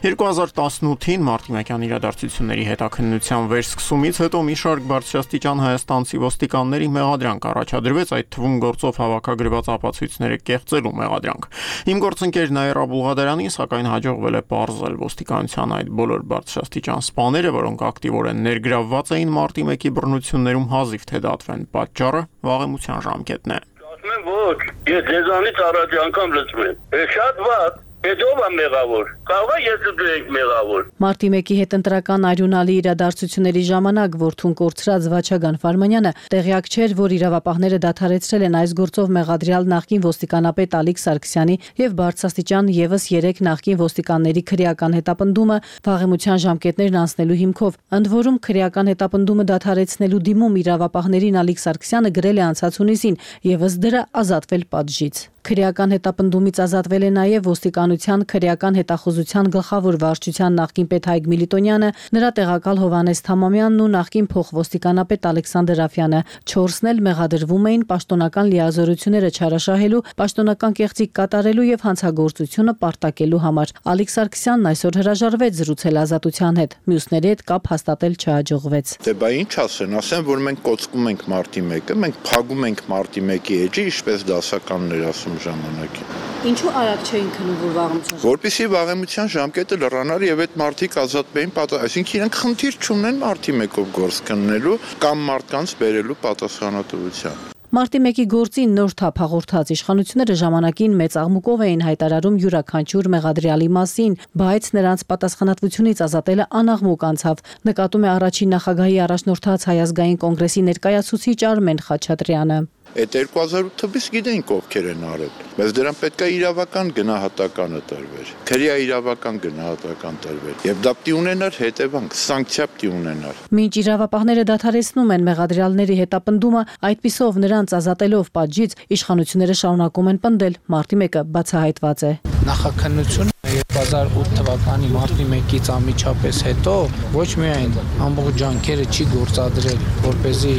A: 2018-ին մարտի 1-յան իրադարձությունների հետաքննության վերսկսումից հետո մի շարք բարձրաստիճան հայաստանցի ոստիկանների մեղադրանք առաջադրվեց, այդ թվում գործով հավաքագրված ապացույցները կեղծելու մեղադրանք։ Իմ գործընկեր Նաիրա Բուլղադարյանին սակայն հաջողվել է պարզել ոստիկանության այդ բոլոր բարձրաստիճան սպաները, որոնք ակտիվորեն ներգրավված էին մարտի 1-ի բռնություններում հազիվ թե դատվեն, պատճառը վաղեմության ժամկետն է։
I: Ասում եմ ոչ, ես ձեզանից առաջ անգամ լսում եմ։ Շատ վատ, Հետո մեղավոր, կարող է ես ու դու ենք մեղավոր։
J: Մարտի 1-ի հետընտրական արյունալի իրադարձությունների ժամանակ որդուն կորցրած Վաչագան Ֆարմանյանը տեղյակ չէր, որ իրավապահները դադարեցրել են այս գործով մեղադրյալ նախկին ոստիկանապետ Ալիկ Սարգսյանի եւ բարձրաստիճան եւս 3 նախկին ոստիկանների քրեական հետապնդումը վաղեմության ժամկետներն անցնելու հիմքով։ Ընդ որում քրեական հետապնդումը դադարեցնելու դիմում իրավապահներին Ալիկ Սարգսյանը գրել է անցած հունիսին եւ ըստ դրա ազատվել պատժից։ Քրեական հետապնդումից ազատվել է նաև ոստիկանության քրեական հետախուզության գլխավոր վարչության նախկին պետ Հայկ Միլիտոնյանը, նրա տեղակալ Հովանես Թամամյանն ու նախկին փոխվոստիկանապետ Ալեքսանդր Աֆյանը։ 4-ն էլ մեղադրվում էին պաշտոնական լիազորությունները չարաշահելու, պաշտոնական կեղծիք կատարելու եւ հանցագործությունը պարտակելու համար։ Ալիկ Սարգսյանն այսօր հրաժարվեց զրուցել Ազատության հետ, մյուսների հետ կապ հաստատել չհաջողվեց։
N: Դե բա ինչ ասեն, որ մենք կոծկում ենք մարտի 1-ը, մենք փագում ենք մարտի 1-ի էջը, ինչպես դասականներ ասում ժամանակին։
J: Ինչու արագ չէին քնում, որ վաղեմության
N: որպեսզի վաղեմության ժամկետը լրանար եւ այդ մարդիկ ազատվեին, այսինքն իրենք խնդիր չունեն մարտի 1-ով գործ քննելու կամ մարդկանց բերելու պատասխանատվության։
J: Մարտի 1-ի գործին նոր թափ հաղորդած իշխանությունները ժամանակին մեծ աղմուկով էին հայտարարում յուրաքանչյուր մեղադրյալի մասին, բայց նրանց պատասխանատվությունից ազատելը անաղմուկ անցավ, նկատում է առաջին նախագահի առաջնորդած Հայ ազգային կոնգրեսի ներկայացուցիչ Արմեն Խաչատրյանը։
N: Այդ 2008 թվականից գիտենք ովքեր են արել, բայց դրան պետք է իրավական գնահատականը տրվեր, քրեա իրավական գնահատական տրվեր եւ դա պիտի ունենար հետևանք, սանկցիա պիտի ունենար։
J: Մինչ իրավապահները դադարեցնում են մեղադրյալների հետապնդումը, այդպիսով նրանց ազատելով պատժից, իշխանությունները շարունակում են պնդել, մարտի 1-ը բացահայտված է։
L: Նախաքննությունը 2008 թվականի մարտի 1-ից անմիջապես հետո ոչ միայն ամբողջ ջանքերը չի գործադրել, որպեսզի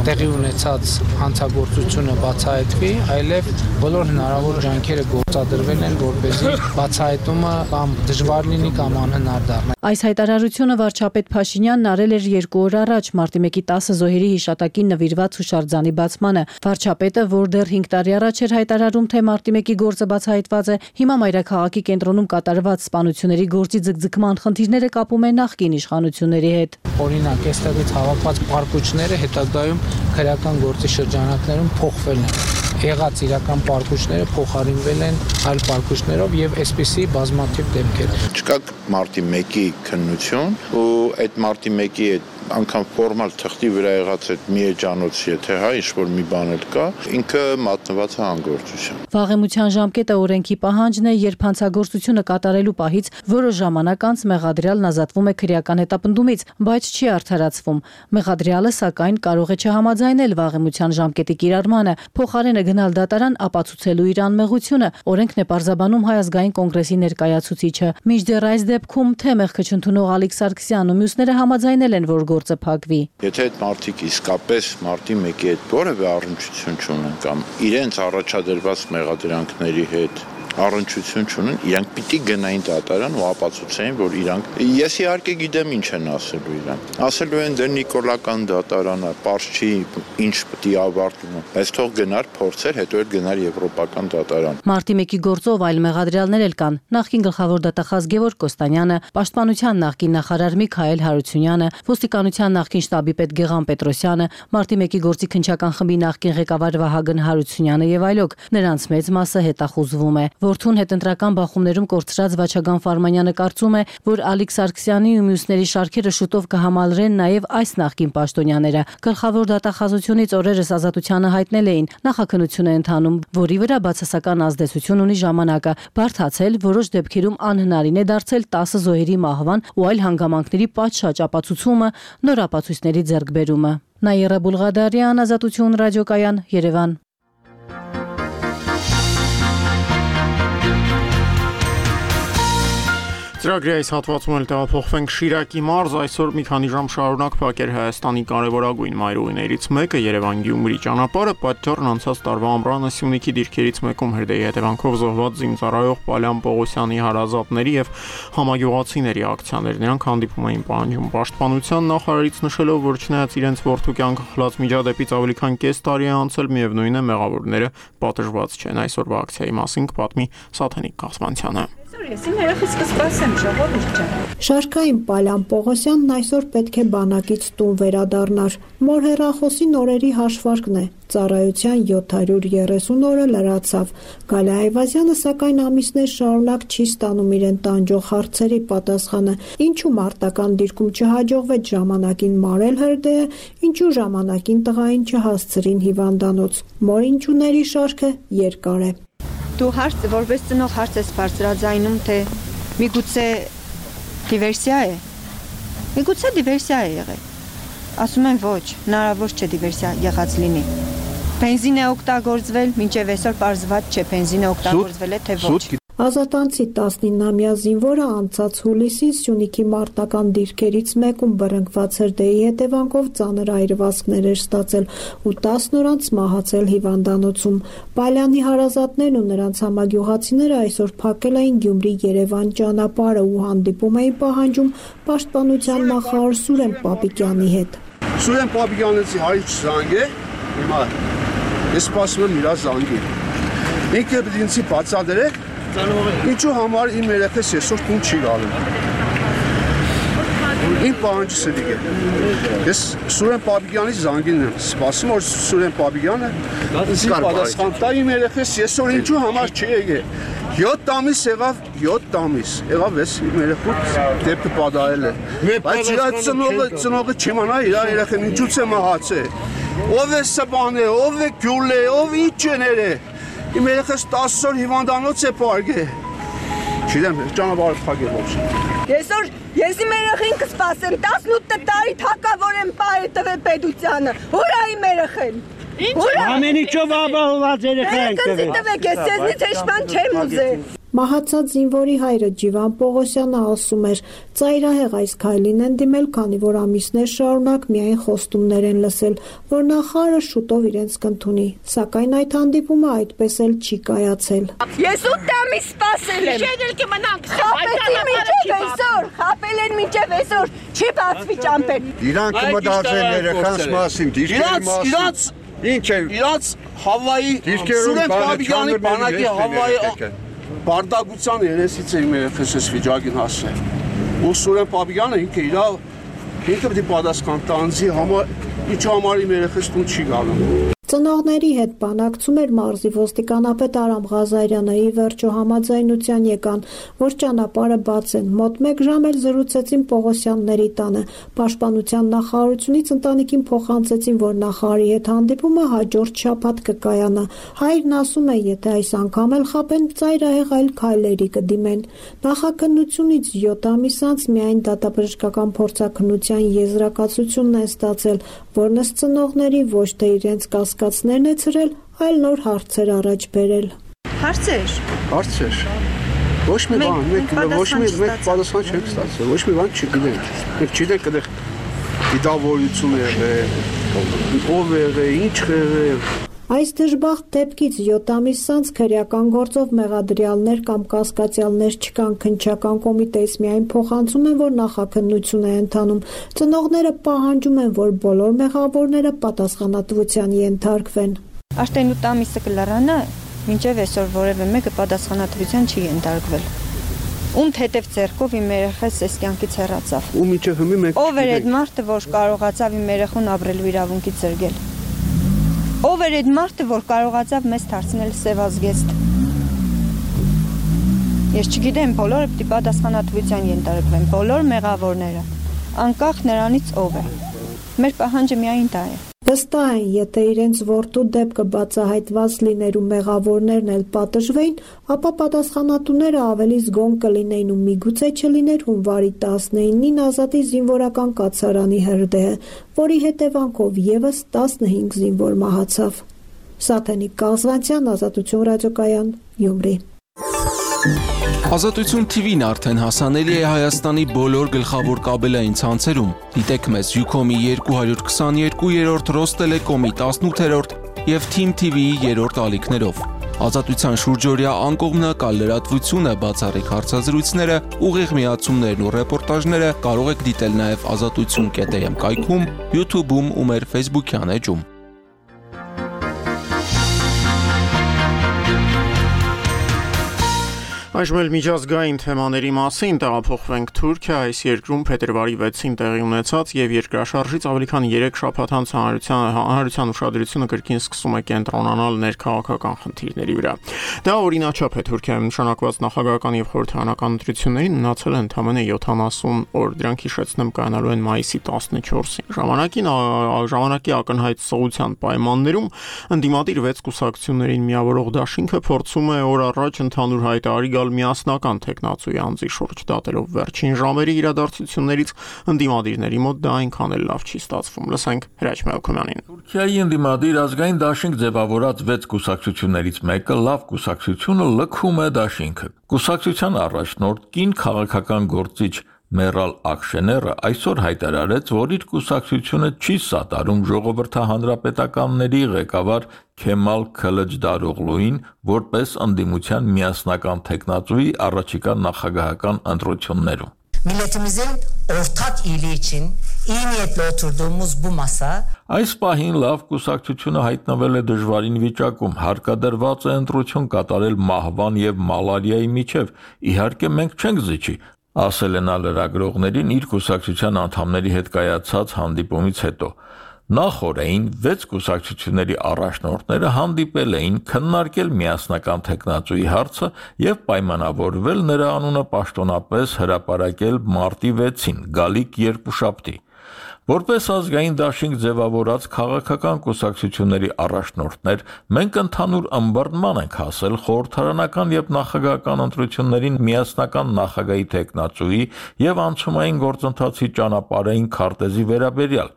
L: տեղի ունեցած հանցագործությունը բացահայտվի, այլև բոլոր հնարավոր ջանքերը գործադրվել են, որպեսզի բացահայտումը կամ դժվար լինի կամ անհնար դառնա։
J: Այս հայտարարությունը վարչապետ Փաշինյանն արել էր 2 օր առաջ մարտի 1-ի 10 զոհերի հիշատակին նվիրված հուշարձանի բացմանը։ Վարչապետը, որ դեռ 5 տարի առաջ էր հայտարարում, թե մարտի 1-ի գործը բացահայտված է, հիմա մայրաքաղաքի կենտրոնում կատարված սպանությունների գործի ձգձգման խնդիրները կապում է նախկին իշխանությունների հետ։
L: Օրինակ, այստեղից հավաքված պարկուճները հետագայում քրեական գործի շրջանակներում փոխվել են։ Եղած իրական պարկուճները փոխարինվել են այլ պարկուճներով եւ այսպիսի բազմաթիվ դեպքեր։
N: Չկա մարտի 1-ի քննություն ու այդ մարտի 1-ի այդ անգամ ֆորմալ թղթի վրա եղած այդ մի էջանոցի եթե հա ինչ-որ մի բան էլ կա, ինքը մատնված է անգործության։
O: Վաղեմության ժամկետը օրենքի պահանջն է, երբ հանցագործությունը կատարելու պահից որոշ ժամանակ անց մեղադրյալն ազատվում է քրեական հետապնդումից, բայց չի արդարացվում։ Մեղադրյալը սակայն կարող է չհամաձայնել վաղեմության ժամկետի կիրառմանը, փոխարենը գնալ դատարան ապացուցելու իր անմեղությունը, օրենքն է պարզաբանում Հայ ազգային կոնգրեսի ներկայացուցիչը։ Մինչդեռ այս դեպքում թե մեղքը չընդունող Ալիկ Սարգսյանն ու մյուսները համաձայնել են, որ գործը փակվի։
N: Եթե այդ մարդիկ իսկապես մարտի 1-ի հետ որևէ առնչություն չունեն կամ իրենց առաջադրված մեղադրանքների հետ առնչություն չունեն, իրանք պիտի գնային դատարան ու ապացուցեին, որ իրանք ես իհարկե գիտեմ ինչ են ասելու իրանք։ Ասելու են դե նիկոլական դատարանը, պարզ չի ինչ պիտի ավարտվի, բայց թող գնար փորձեր, հետո էլ գնար եվրոպական դատարան։
O: Մարտի 1-ի գործով այլ մեղադրյալներ էլ կան։ Նախկին գլխավոր դատախազ Գևորգ Կոստանյանը, Պաշտպանության նախկին նախարար Միքայել Հարությունյանը, Ոստիկանության նախկին շտաբի պետ Գեղամ Պետրոսյանը, Մարտի 1-ի գործի քննչական խմբի նախկին ղեկավար Վահագն Հարությունյանը եւ այլոք։ Նրանց մեծ մասը հետախուզվում է։ Որդուն հետընտրական բախումներում կորցրած Վաչագան Ֆարմանյանը կարծում է, որ Ալիկ Սարգսյանի ու մյուսների շարքերը շուտով կհամալրեն նաև այս նախկին պաշտոնյաները։ Գլխավոր դատախազությունից օրերս ազատությանը հայտնել էին, նախաքննություն է ընթանում, որի վրա բացասական ազդեցություն ունի ժամանակը, բարդացել, որոշ դեպքերում անհնարին է դարձել 10 զոհերի մահվան ու այլ հանգամանքների պատշաճ ապացուցումը, նոր ապացույցների ձեռքբերումը։ Նաիրա Բուլղադարյան, Ազատություն ռադիոկայան, Երևան։
A: Ծրագրի այս հատվածում էլ տեղափոխվենք Շիրակի մարզ, այսօր մի քանի ժամ շարունակ փակեր Հայաստանի կարևորագույն մայրուղիներից մեկը Երևան-Գյումրի ճանապարհը, պատճառն անցած տարվա ամռանը Սյունիքի դիրքերից մեկում հրդեհի հետևանքով զոհված զինծառայող Պալյան Պողոսյանի հարազատների եւ համագյուղացիների ակցիաներ։ Նրանք հանդիպում էին պահանջում Պաշտպանության նախարարից, նշելով, որ չնայած իրենց որդու կյանքը խլած միջադեպից ավելի քան կես տարի է անցել, միևնույն է մեղավորները պատժված չեն։ Այսօրվա ակցիայի մասին կպատմի Սաթենիկ Կասմանցյանը։
P: Ես իմ երեխից կսպասեմ, ժողովուրդ ջան։
Q: Շարքային Պալյան Պողոսյանն այսօր պետք է բանակից տուն վերադառնար։ Մոր հեռախոսի նորերի հաշվարկն է։ Ծառայության 730 օրը լրացավ։ Գալա Այվազյանը սակայն ամիսներ շարունակ չի ստանում իրեն տանջող հարցերի պատասխանը։ Ինչու մարտական դիրքում չհաջողվեց ժամանակին մարել հրդեհը, ինչու ժամանակին տղային չհասցրին հիվանդանոց։ Մոր ինչուների շարքը երկար է։
P: Դու հարց որպես ծնող հարց ես բարձրաձայնում, թե միգուցե դիվերսիա է։ Միգուցե դիվերսիա է եղել։ Ասում են ոչ, հնարավոր չէ դիվերսիա եղած լինի։ Բենզին է օգտագործվել, մինչև այսօր պարզված չէ բենզին է օգտագործվել է թե ոչ։
Q: Ազատանցի 19-ամյա զինվորը անցած հուլիսին Սյունիքի մարտական դիրքերից մեկում բռնկված հրդեհի հետևանքով ծանր այրվածքներ էր ստացել ու 10 օր անց մահացել հիվանդանոցում։ Պալյանի հարազատներն ու նրանց համագյուղացիները այսօր փակել էին Գյումրի-Երևան ճանապարհը ու հանդիպում էին պահանջում Պաշտպանության նախարար Սուրեն Պապիկյանի հետ։
R: Սուրեն Պապիկյանից հայր զանգ է, հիմա ես սպասում եմ իր զանգին։ Ինքը ինձ բացատրեք ինչու համար իմ երեխես այսօր տուն չի գալու։ Իմ պահանջս է դիգե։ Ես Սուրեն Պապիկյանի զանգին եմ սպասում, որ Սուրեն Պապիկյանը ինձ պատասխան տա իմ երեխես այսօր ինչու համար չի եկել։ 7 ամիս եղավ, 7 ամիս եղավ ես իմ երեխուց դեպքը պատահել է։ Բայց իր ծնողը չիմանա իր երեխան ինչուց է մահացել։ Ով է սպանել, ով է գյուլել, ով ինչ է ներել։ Իմ երեխս 10 օր հիվանդանոց է պարգել։ Չգիտեմ, ճանապարհը փակել ոչ։
P: Ես իմ երեխին կսպասեմ, 18 տարի թակավոր եմ պահել տվել պետությանը։ Ուր է իմ երեխեն։
S: Ամեն ինչով ապահովված երեխա ենք
P: տվել։ Ես ձեզնից հեչ բան չեմ ուզել։
Q: Մահացած զինվորի հայրը Ջիվան Պողոսյանը ասում էր, ծայրահեղ այս քայլին են դիմել, քանի որ ամիսներ շարունակ միայն խոստումներ են լսել, որ նախարարը շուտով իրենց կընդունի, սակայն այդ հանդիպումը այդպես էլ չի կայացել։
P: Ես 8 ամիս սպասել եմ։ Խապել են մինչև այսօր, չի բացվի ճամփեն։
R: Իրանք մտածել երեխանց մասին, դիրքերի մասին։ Ինչ է։ Իրանց Հավայի Սուրեն Պապիկյանի բանակի Հավայի Բարդագության երեսից է իմ երեխես ես վիճակին հասել։ Ու Սուրեն Պապիկյանը ինքը պետք է պատասխան տա անձի համար, ինչու համար իմ երեխես տուն չի գալու։
Q: Ծնողների հետ բանակցում էր մարզի ոստիկանապետ Արամ Ղազարյանը, ի վերջո համաձայնության եկան, որ ճանապարհը բացեն։ Մոտ 1 ժամ էլ զրուցեցին Պողոսյանների տանը։ Պաշտպանության նախարարությունից ընտանիքին փոխանցեցին, որ նախարարի հետ հանդիպումը հաջորդ շաբաթ կկայանա։ Հայրն ասում է, եթե այս անգամ էլ խաբեն, ծայրահեղ այլ քայլերի կդիմեն։ Նախաքննությունից 7 ամիս անց միայն դատաբժշկական փորձաքննության եզրակացությունն է ստացել, որն ըստ ծնողների ոչ թե իրենց կասկածներն է ցրել, այլ նոր հարցեր առաջ բերել։
P: Հարցեր։
R: Ոչ մի բան, մենք պատասխան չենք ստացել, ոչ մի բան չգիտենք։ Մենք չգիտենք այդտեղ դիտավորություն եղել, ով եղել, ինչ եղել։
Q: Այս դժբախտ դեպքից 7 ամիս անց քրեական գործով մեղադրյալներ կամ կասկածյալներ չկան, քննչական կոմիտեից միայն փոխանցում են, որ նախաքննություն է ընթանում։ Ծնողները պահանջում են, որ բոլոր մեղավորները պատասխանատվության ենթարկվեն։
P: Արդեն 8 ամիսը կլարանա, մինչև այսօր որևէ մեկը պատասխանատվության չի ենթարկվել։ Ում հետև ձեռքով իմ երեխաս այս կյանքից հեռացավ։
R: Ու մինչև հիմա մենք
P: ով էր այդ մարդը, որ կարողացավ իմ երեխուն ապրելու իրավունքից զրկել։ Ով էր այդ մարդը, որ կարողացավ մեզ դարձնել սևազգեստ։ Ես չգիտեմ, բոլորը պիտի պատասխանատվության ենթարկվեն, բոլոր մեղավորները, անկախ նրանից ով է։ Մեր պահանջը միայն դա է։
Q: Վստահ են, եթե իրենց որդու դեպքը բացահայտված լիներ ու մեղավորներն էլ պատժվեին, ապա պատասխանատուները ավելի զգոն կլինեին ու միգուցե չլիներ հունվարի 19-ին Ազատի զինվորական կացարանի հրդեհը, որի հետևանքով եւս 15 զինվոր մահացավ։ Սաթենիկ Կազվանցյան, Ազատություն ռադիոկայան, Գյումրի։
T: Ազատություն TV-ն արդեն հասանելի է Հայաստանի բոլոր գլխավոր կաբելային ցանցերում։ Դիտեք մեզ Ucom-ի 222-րդ, Ռոստելեկոմի 18-րդ եւ Team TV-ի 3-րդ ալիքներով։ Ազատության շուրջօրյա անկողմնակալ լրատվությունը, բացառիկ հարցազրույցները, ուղիղ միացումներն ու ռեպորտաժները կարող եք դիտել նաեւ azatutsun.am կայքում, YouTube-ում ու մեր Facebook-յան էջում։
A: Այժմ էլ միջազգային թեմաների մասին տեղափոխվենք Թուրքիա, այս երկրում փետրվարի 6-ին տեղի ունեցած եւ երկրաշարժից ավելի քան 3 շաբաթ անց հանրության ուշադրությունը կրկին սկսում է կենտրոնանալ ներքաղաքական խնդիրների վրա։ Դա օրինաչափ է Թուրքիայում նշանակված նախագահական եւ խորհրդարանական ընտրություններին մնացել են ընդամենը 70 օր, դրանք հիշեցնեմ կանալու են մայիսի 14-ին։ Ժամանակի ակնհայտ սողության պայմաններում ընդդիմադիր 6 կուսակցություններին միավորող դաշինքը փորձում է օր առաջ ընդհանուր հայտարարի միասնական տեխնացուի անձի շուրջ դատելով վերջին ժամերի իրադարձություններից ընդդիմադիրների մոտ դա այնքան էլ լավ չի ստացվում։ Լսենք Հրաչ Մելքոմյանին։
U: Թուրքիայի ընդդիմադիր ազգային դաշինք ձևավորած 6 կուսակցություններից մեկը լավ կուսակցությունը լքում է դաշինքը։ Կուսակցության առաջնորդ կին քաղաքական գործիչ Մերալ Աքշեները այսօր հայտարարեց, որ իր կուսակցությունը չի սատարում ժողովրդահանրապետականների ղեկավար Քեմալ Քլջդարօղլուին որպես ընդդիմության միասնական տեխնացուի առաջիկա նախագահական ընտրություններում։
V: Milletimizin ortak iyiliği için iyi niyetle oturduğumuz bu masa
U: Այս պահին լավ կուսակցությունը հայտնվել է դժվարին վիճակում, հարկադրված է ընտրություն կատարել մահվան եւ մալարիայի միջև։ Իհարկե մենք չենք զիջի, ասել է նա լրագրողներին իր կուսակցության անդամների հետ կայացած հանդիպումից հետո։ Նախորդին 6 կուսակցությունների առաջնորդները հանդիպել էին քննարկել միասնական տեխնացուի հարցը եւ պայմանավորվել նրա անունը պաշտոնապես հրապարակել մարտի 6-ին, գալիք երկուշաբթի։ Որպես ազգային դաշինք ձևավորած քաղաքական կուսակցությունների առաջնորդներ, մենք ընդհանուր ըմբռնման ենք հասել խորհրդարանական եւ նախագահական ընտրություններին միասնական նախագահի տեխնացուի եւ անցումային գործընթացի ճանապարհային քարտեզի վերաբերյալ։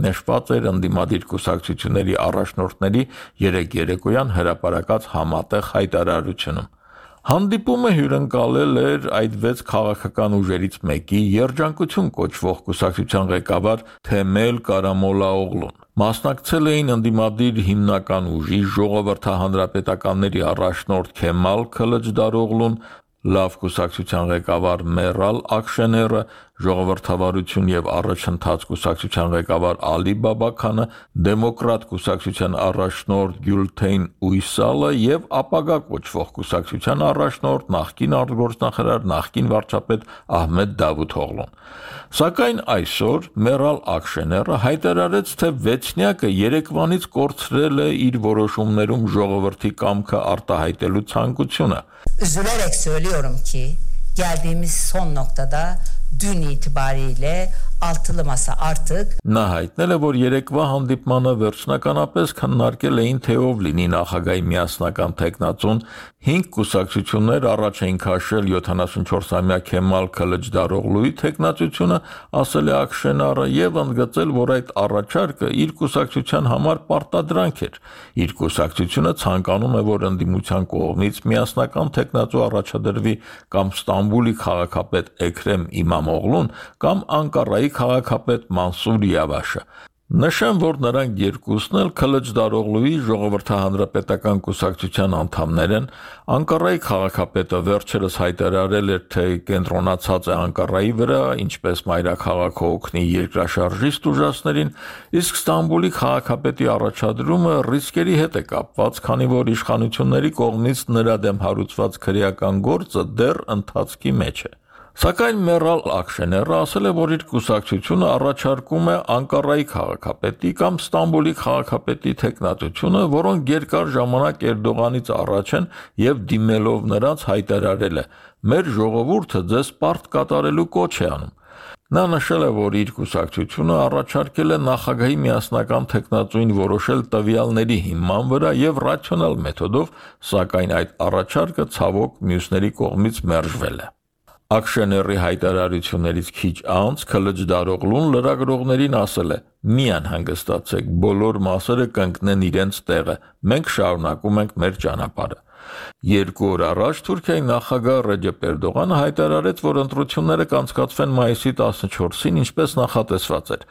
U: Նշված էր ընդդիմադիր կուսակցությունների առաջնորդների երեկոյան հրապարակած համատեղ հայտարարությունում։ Հանդիպումը հյուրընկալել էր այդ 6 քաղաքական ուժերից մեկի երջանկություն կոչվող կուսակցության ղեկավար Թեմել Կարամոլաօղլուն։ Մասնակցել էին ընդդիմադիր հիմնական ուժի ժողովրդահանրապետականների առաջնորդ Քեմալ Քլջդարօղլուն, լավ կուսակցության ղեկավար Մերալ Աքշեները, Ժողովրդավարություն եւ առաջընթաց կուսակցության ղեկավար Ալի Բաբաքանը, Դեմոկրատ կուսակցության առաջնորդ Գյուլթեյն Ույսալը եւ ապագա կոչվող կուսակցության առաջնորդ նախկին արտգործնախարար նախկին վարչապետ Ահմեդ Դավութօղլուն։ Սակայն այսօր Մերալ Ակշեները հայտարարեց, թե վեցնյակը երեկվանից կորցրել է իր որոշումներում ժողովրդի կամքը արտահայտելու ցանկությունը։
V: Üzülerek söylüyorum ki geldiğimiz son noktada dün itibariyle altılı masa artık
U: Նա հայտնել է, որ երեկվա հանդիպմանը վերջնականապես քննարկել էին, թե ով լինի նախագահի միասնական թեկնածուն, 5 կուսակցություններ առաջ էին քաշել 74-ամյա Քեմալ Քլիչդարօղլուի թեկնածությունը, ասել է Ակշենարը եւ ընդգծել, որ այդ առաջարկը իր կուսակցության համար պարտադրանք էր։ Իր կուսակցությունը ցանկանում է, որ ընդդիմության կողմից միասնական թեկնածու առաջադրվի կամ Ստամբուլի քաղաքապետ Էքրեմ Իմամօղլուն կամ Անկարայի քաղաքապետ Մանսուր Յավաշը։ Նշեմ, որ նրանք երկուսն էլ Քլիչդարօղլուի ժողովրդահանրապետական կուսակցության անդամներ են։ Անկարայի քաղաքապետը վերջերս հայտարարել էր, թե կենտրոնացած է Անկարայի վրա, ինչպես մայրաքաղաքը օգնի երկրաշարժիստ ուժասներին, իսկ Ստամբուլի քաղաքապետի առաջադրումը ռիսկերի հետ է կապված, քանի որ իշխանությունների կողմից նրա դեմ հարուցված քրեական գործը դեռ ընթացքի մեջ է։ Սակայն Մերալ Ակշեները ասել է, որ իր կուսակցությունը առաջարկում է Անկարայի քաղաքապետի կամ Ստամբուլի քաղաքապետի թեկնածությունը, որոնք երկար ժամանակ Էրդողանից առաջ են եւ դիմելով նրանց հայտարարել է. «Մեր ժողովուրդը ձեզ պարտ կատարելու կոչ է անում»։ Նա նշել է, որ իր կուսակցությունը առաջարկել է նախագահի միասնական թեկնածուին որոշել տվյալների հիման վրա եւ ռացիոնալ մեթոդով, սակայն այդ առաջարկը ցավոք մյուսների կողմից մերժվել է։ Ակշեների հայտարարություններից քիչ անց Քլիչդարօղլուն լրագրողներին ասել է. «Մի անհանգստացեք, բոլոր մասերը կընկնեն իրենց տեղը, մենք շարունակում ենք մեր ճանապարհը»։ 2 օր առաջ Թուրքիայի նախագահ Ռեջեփ Էրդողանը հայտարարեց, որ ընտրությունները կանցկացվեն մայիսի 14-ին, ինչպես նախատեսված էր։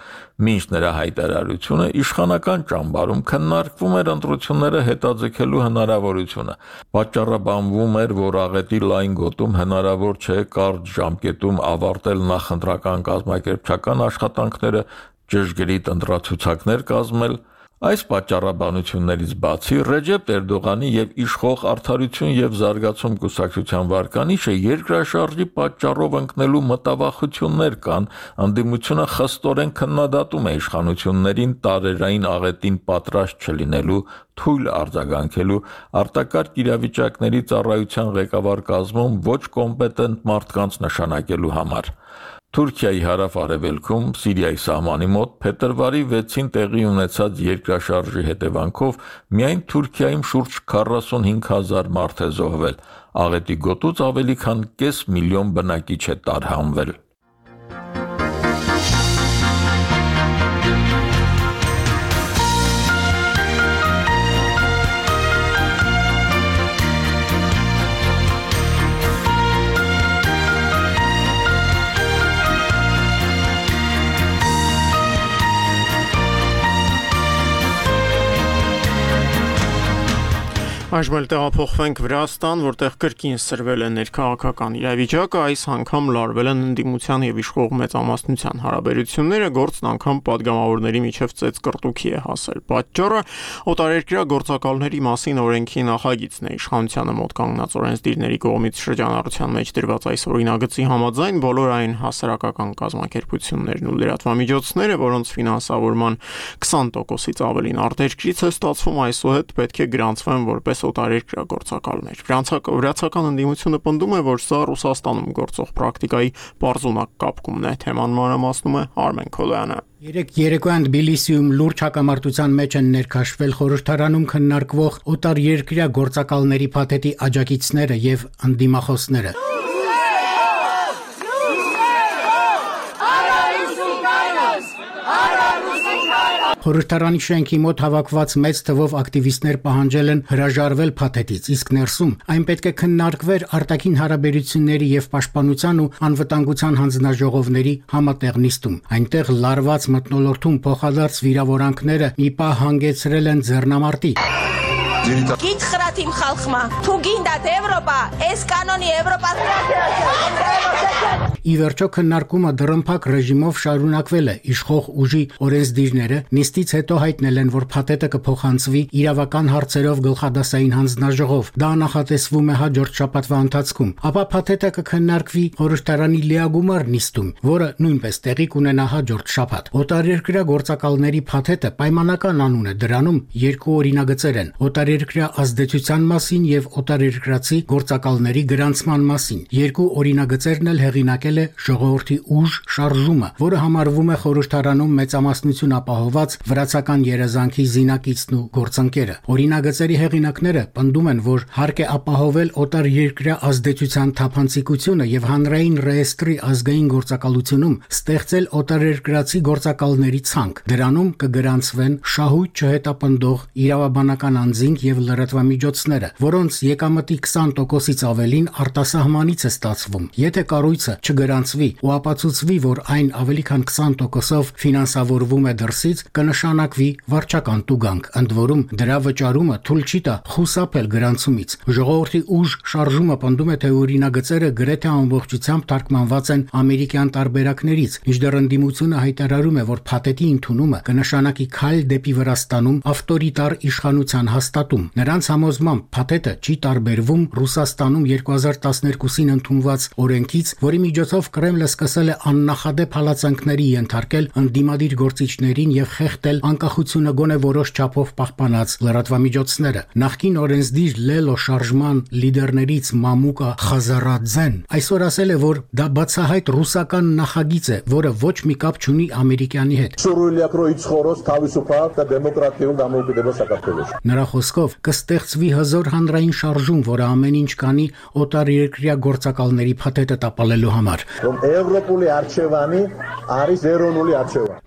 U: Մինչ նրա հայտարարությունը իշխանական ճամբարում քննարկվում էր ընտրությունները հետաձգելու հնարավորությունը։ Պատճառաբանվում էր, որ աղետի լայն գոտում հնարավոր չէ կարճ ժամկետում ավարտել նախընտրական կազմակերպչական աշխատանքները, ճշգրիտ ընտրացուցակներ կազմել։ Այս պատճառաբանություններից բացի Ռեջեփ Էրդողանի եւ իշխող Արդարություն եւ Զարգացում կուսակցության վարկանիշը երկրաշարժի պատճառով ընկնելու մտավախություններ կան, ընդդիմությունը խստորեն քննադատում է իշխանություններին տարերային աղետին պատրաստ չլինելու, թույլ արձագանքելու, արտակարգ իրավիճակների ծառայության ղեկավար կազմում ոչ կոմպետենտ մարդկանց նշանակելու համար։ Թուրքիայի հարավ-արևելքում, Սիրիայի սահմանի մոտ փետրվարի 6-ին տեղի ունեցած երկրաշարժի հետևանքով միայն Թուրքիայում շուրջ 45,000 մարդ է զոհվել, աղետի գոտուց ավելի քան կես միլիոն բնակիչ է տարհանվել։
A: Այժմ էլ տեղափոխվենք Վրաստան, որտեղ կրկին սրվել է ներքաղաքական իրավիճակը, այս անգամ լարվել են ընդդիմության եւ իշխող մեծամասնության հարաբերությունները, գործն անգամ падգամավորների միջև ծեծկռտուքի է հասել։ Պատճառը օտարերկրյա գործակալների մասին օրենքի նախագիծն է։ Իշխանությանը մոտ կանգնած օրենսդիրների կողմից շրջանառության մեջ դրված այս օրինագծի համաձայն բոլոր այն հասարակական կազմակերպություններն ու լրատվամիջոցները, որոնց ֆինանսավորման 20%-ից ավելին արտերկրից է ստացվում, այսուհետ պետք է գրանցվեն որպես օտարերկրյա գործակալներ։ Վրացական ընդդիմությունը պնդում է, որ սա Ռուսաստանում գործող պրակտիկայի պարզունակ կապկումն է։ Թեման մանրամասնում է Արմեն Քոլյանը։
B: Երեկոյան Թբիլիսիում լուրջ հակամարտության մեջ են ներքաշվել խորհրդարանում քննարկվող օտարերկրյա գործակալների փաթեթի աջակիցները եւ ընդդիմախոսները։ Խորհրդարանի շենքի մոտ հավաքված մեծ թվով ակտիվիստներ պահանջել են հրաժարվել փաթեթից, իսկ ներսում այն պետք է քննարկվեր արտաքին հարաբերությունների եւ պաշտպանության ու անվտանգության հանձնաժողովների համատեղ նիստում։ Այնտեղ լարված մթնոլորտում փոխադարձ վիրավորանքները մի պահ հանգեցրել են ձեռնամարտի։
V: Գիտ խրատիմ խալխմա, թու գինդատ Եվրոպա, էս կանոնի Եվրոպա
B: Ի վերջո քննարկումը դռնփակ ռեժիմով շարունակվել է։ Իշխող ուժի օրենսդիրները նիստից հետո հայտնել են, որ փաթեթը կփոխանցվի իրավական հարցերով գլխադասային հանձնաժողով։ Դա նախատեսվում է հաջորդ շաբաթվա ընթացքում։ Ապա փաթեթը կքննարկվի խորհրդարանի լիագումար նիստում, որը նույնպես տեղի կունենա հաջորդ շաբաթ։ Օտարերկրյա գործակալների փաթեթը պայմանական անուն է, դրանում երկու օրինագծեր են՝ օտարերկրյա ազդեցության մասին եւ օտարերկրացի գործակալների գրանցման մասին։ Երկու օրինագծերն էլ հեղինակել է ժողովրդի ուժ շարժումը, որը համարվում է խորհրդարանում մեծամասնություն ապահոված վրացական երազանքի զինակիցն ու գործընկերը։ Օրինագծերի հեղինակները պնդում են, որ հարկ է ապահովել օտարերկրյա ազդեցության թափանցիկությունը եւ հանրային ռեեստրի ազգային գործակալությունում ստեղծել օտարերկրացի գործակալների ցանկ։ Դրանում կգրանցվեն շահույթ չհետապնդող իրավաբանական անձինք եւ լրատվամիջոցները, որոնց եկամտի 20%-ից ավելին արտասահմանից է ստացվում։ Եթե կառույցը չգրանցվի ու ապացուցվի, որ այն ավելի քան 20%-ով ֆինանսավորվում է դրսից, կնշանակվի վարչական տուգանք։ Ընդ որում, դրա վճարումը թույլ չի տա խուսափել գրանցումից։ Ժողովրդի ուժ շարժումը պնդում է, թե օրինագծերը գրեթե ամբողջությամբ թարգմանված են ամերիկյան տարբերակներից, մինչդեռ ընդդիմությունը հայտարարում է, որ փաթեթի ընդունումը կնշանակի քայլ դեպի Վրաստանում ավտորիտար իշխանության հաստատում։ Նրանց համոզմամբ փաթեթը չի տարբերվում Ռուսաստանում 2012-ին ընդունված օրենքից, որի միջոցով Կրեմլը սկսել է աննախադեպ հալածանքների ենթարկել ընդդիմադիր գործիչներին եւ խեղդել անկախությունը գոնե որոշ չափով պահպանած լրատվամիջոցները։ Նախկին օրենսդիր Լելո շարժման լիդերներից Մամուկա Խազարաձեն այսօր ասել է, որ դա բացահայտ ռուսական նախագիծ է, որը ոչ մի կապ չունի ամերիկյանի հետ։ Նրա խոսքով կստեղծվի հզոր հանրային շարժում, որը ամեն ինչ կանի օտարերկրյա գործակալների փաթեթը տապալելու համար։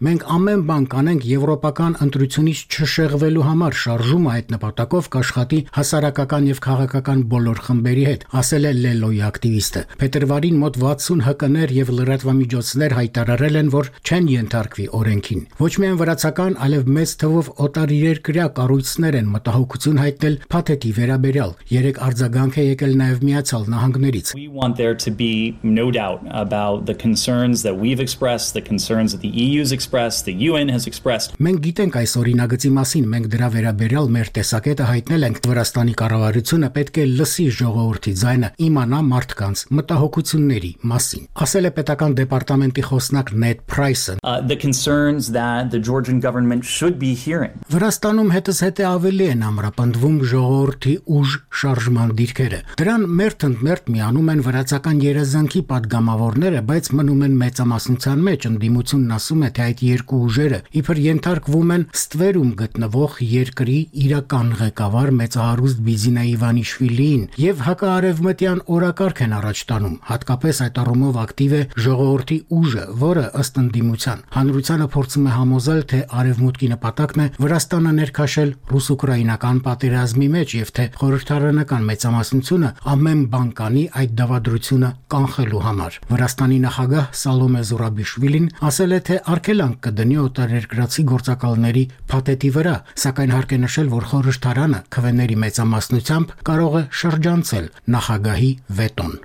B: Մենք ամեն բան կանենք եվրոպական ընտրությունից չշեղվելու համար, շարժումը այդ նպատակով կաշխատի հասարակական եւ քաղաքական բոլոր խմբերի հետ, ասել է Լելոյի ակտիվիստը։ Փետրվարին մոտ 60 ՀԿ-ներ եւ լրատվամիջոցներ հայտարարել են, որ չեն ենթարկվի օրենքին։ Ոչ միայն վրացական, այլև մեծ թվով օտարերկրյա կառույցներ են մտահոգություն հայտնել փաթեթի վերաբերյալ։ Երեք արձագանք է եկել նաեւ Միացյալ Նահանգներից։
E: We want there to be no doubt about the concerns that we've expressed, the concerns that the EU's expressed, the UN has expressed.
B: Մենք գիտենք այս օրինագծի մասին, մենք դրա վերաբերյալ մեր տեսակետը հայտնել ենք։ Վրաստանի կառավարությունը պետք է լսի ժողովրդի ձայնը, իմանա մարդկանց մտահոգությունների մասին, ասել է պետական դեպարտամենտի խոսնակ Նեդ Փրայսը։
E: The concerns that the Georgian government should be hearing.
B: Վրաստանում հետզհետե ավելի են ամրապնդվում ժողովրդի ուժ շարժման դիրքերը։ Դրան մերթ միանում են վրացական երազանքի падգամավորները, բայց մնում են մեծամասնության մեջ։ Ընդդիմությունն ասում է, թե այդ երկու ուժերը իբր ենթարկվում են ստվերում գտնվող երկրի իրական ղեկավար մեծահարուստ Բիզինա Իվանիշվիլիին եւ հակաարևմտյան օրակարգ են առաջ տանում։ Հատկապես այդ առումով ակտիվ է ժողովրդի ուժը, որը ըստ ընդդիմության հանրությանը փորձում է համոզել, թե արևմուտքի նպատակն է Վրաստանը ներքաշել ռուս-ուկրաինական պատերազմի մեջ եւ թե խորհրդարանական մեծամասնությունը ամեն բան կանի այդ դավադրությունը կանխելու համար։ Վրաստանի նախագահ Սալոմե Զուրաբիշվիլին ասել է, թե արգելանք կդնի օտարերկրացի գործակալների փաթեթի վրա, սակայն հարկ է նշել, որ խորհրդարանը քվեների մեծամասնությամբ կարող է շրջանցել նախագահի վետոն։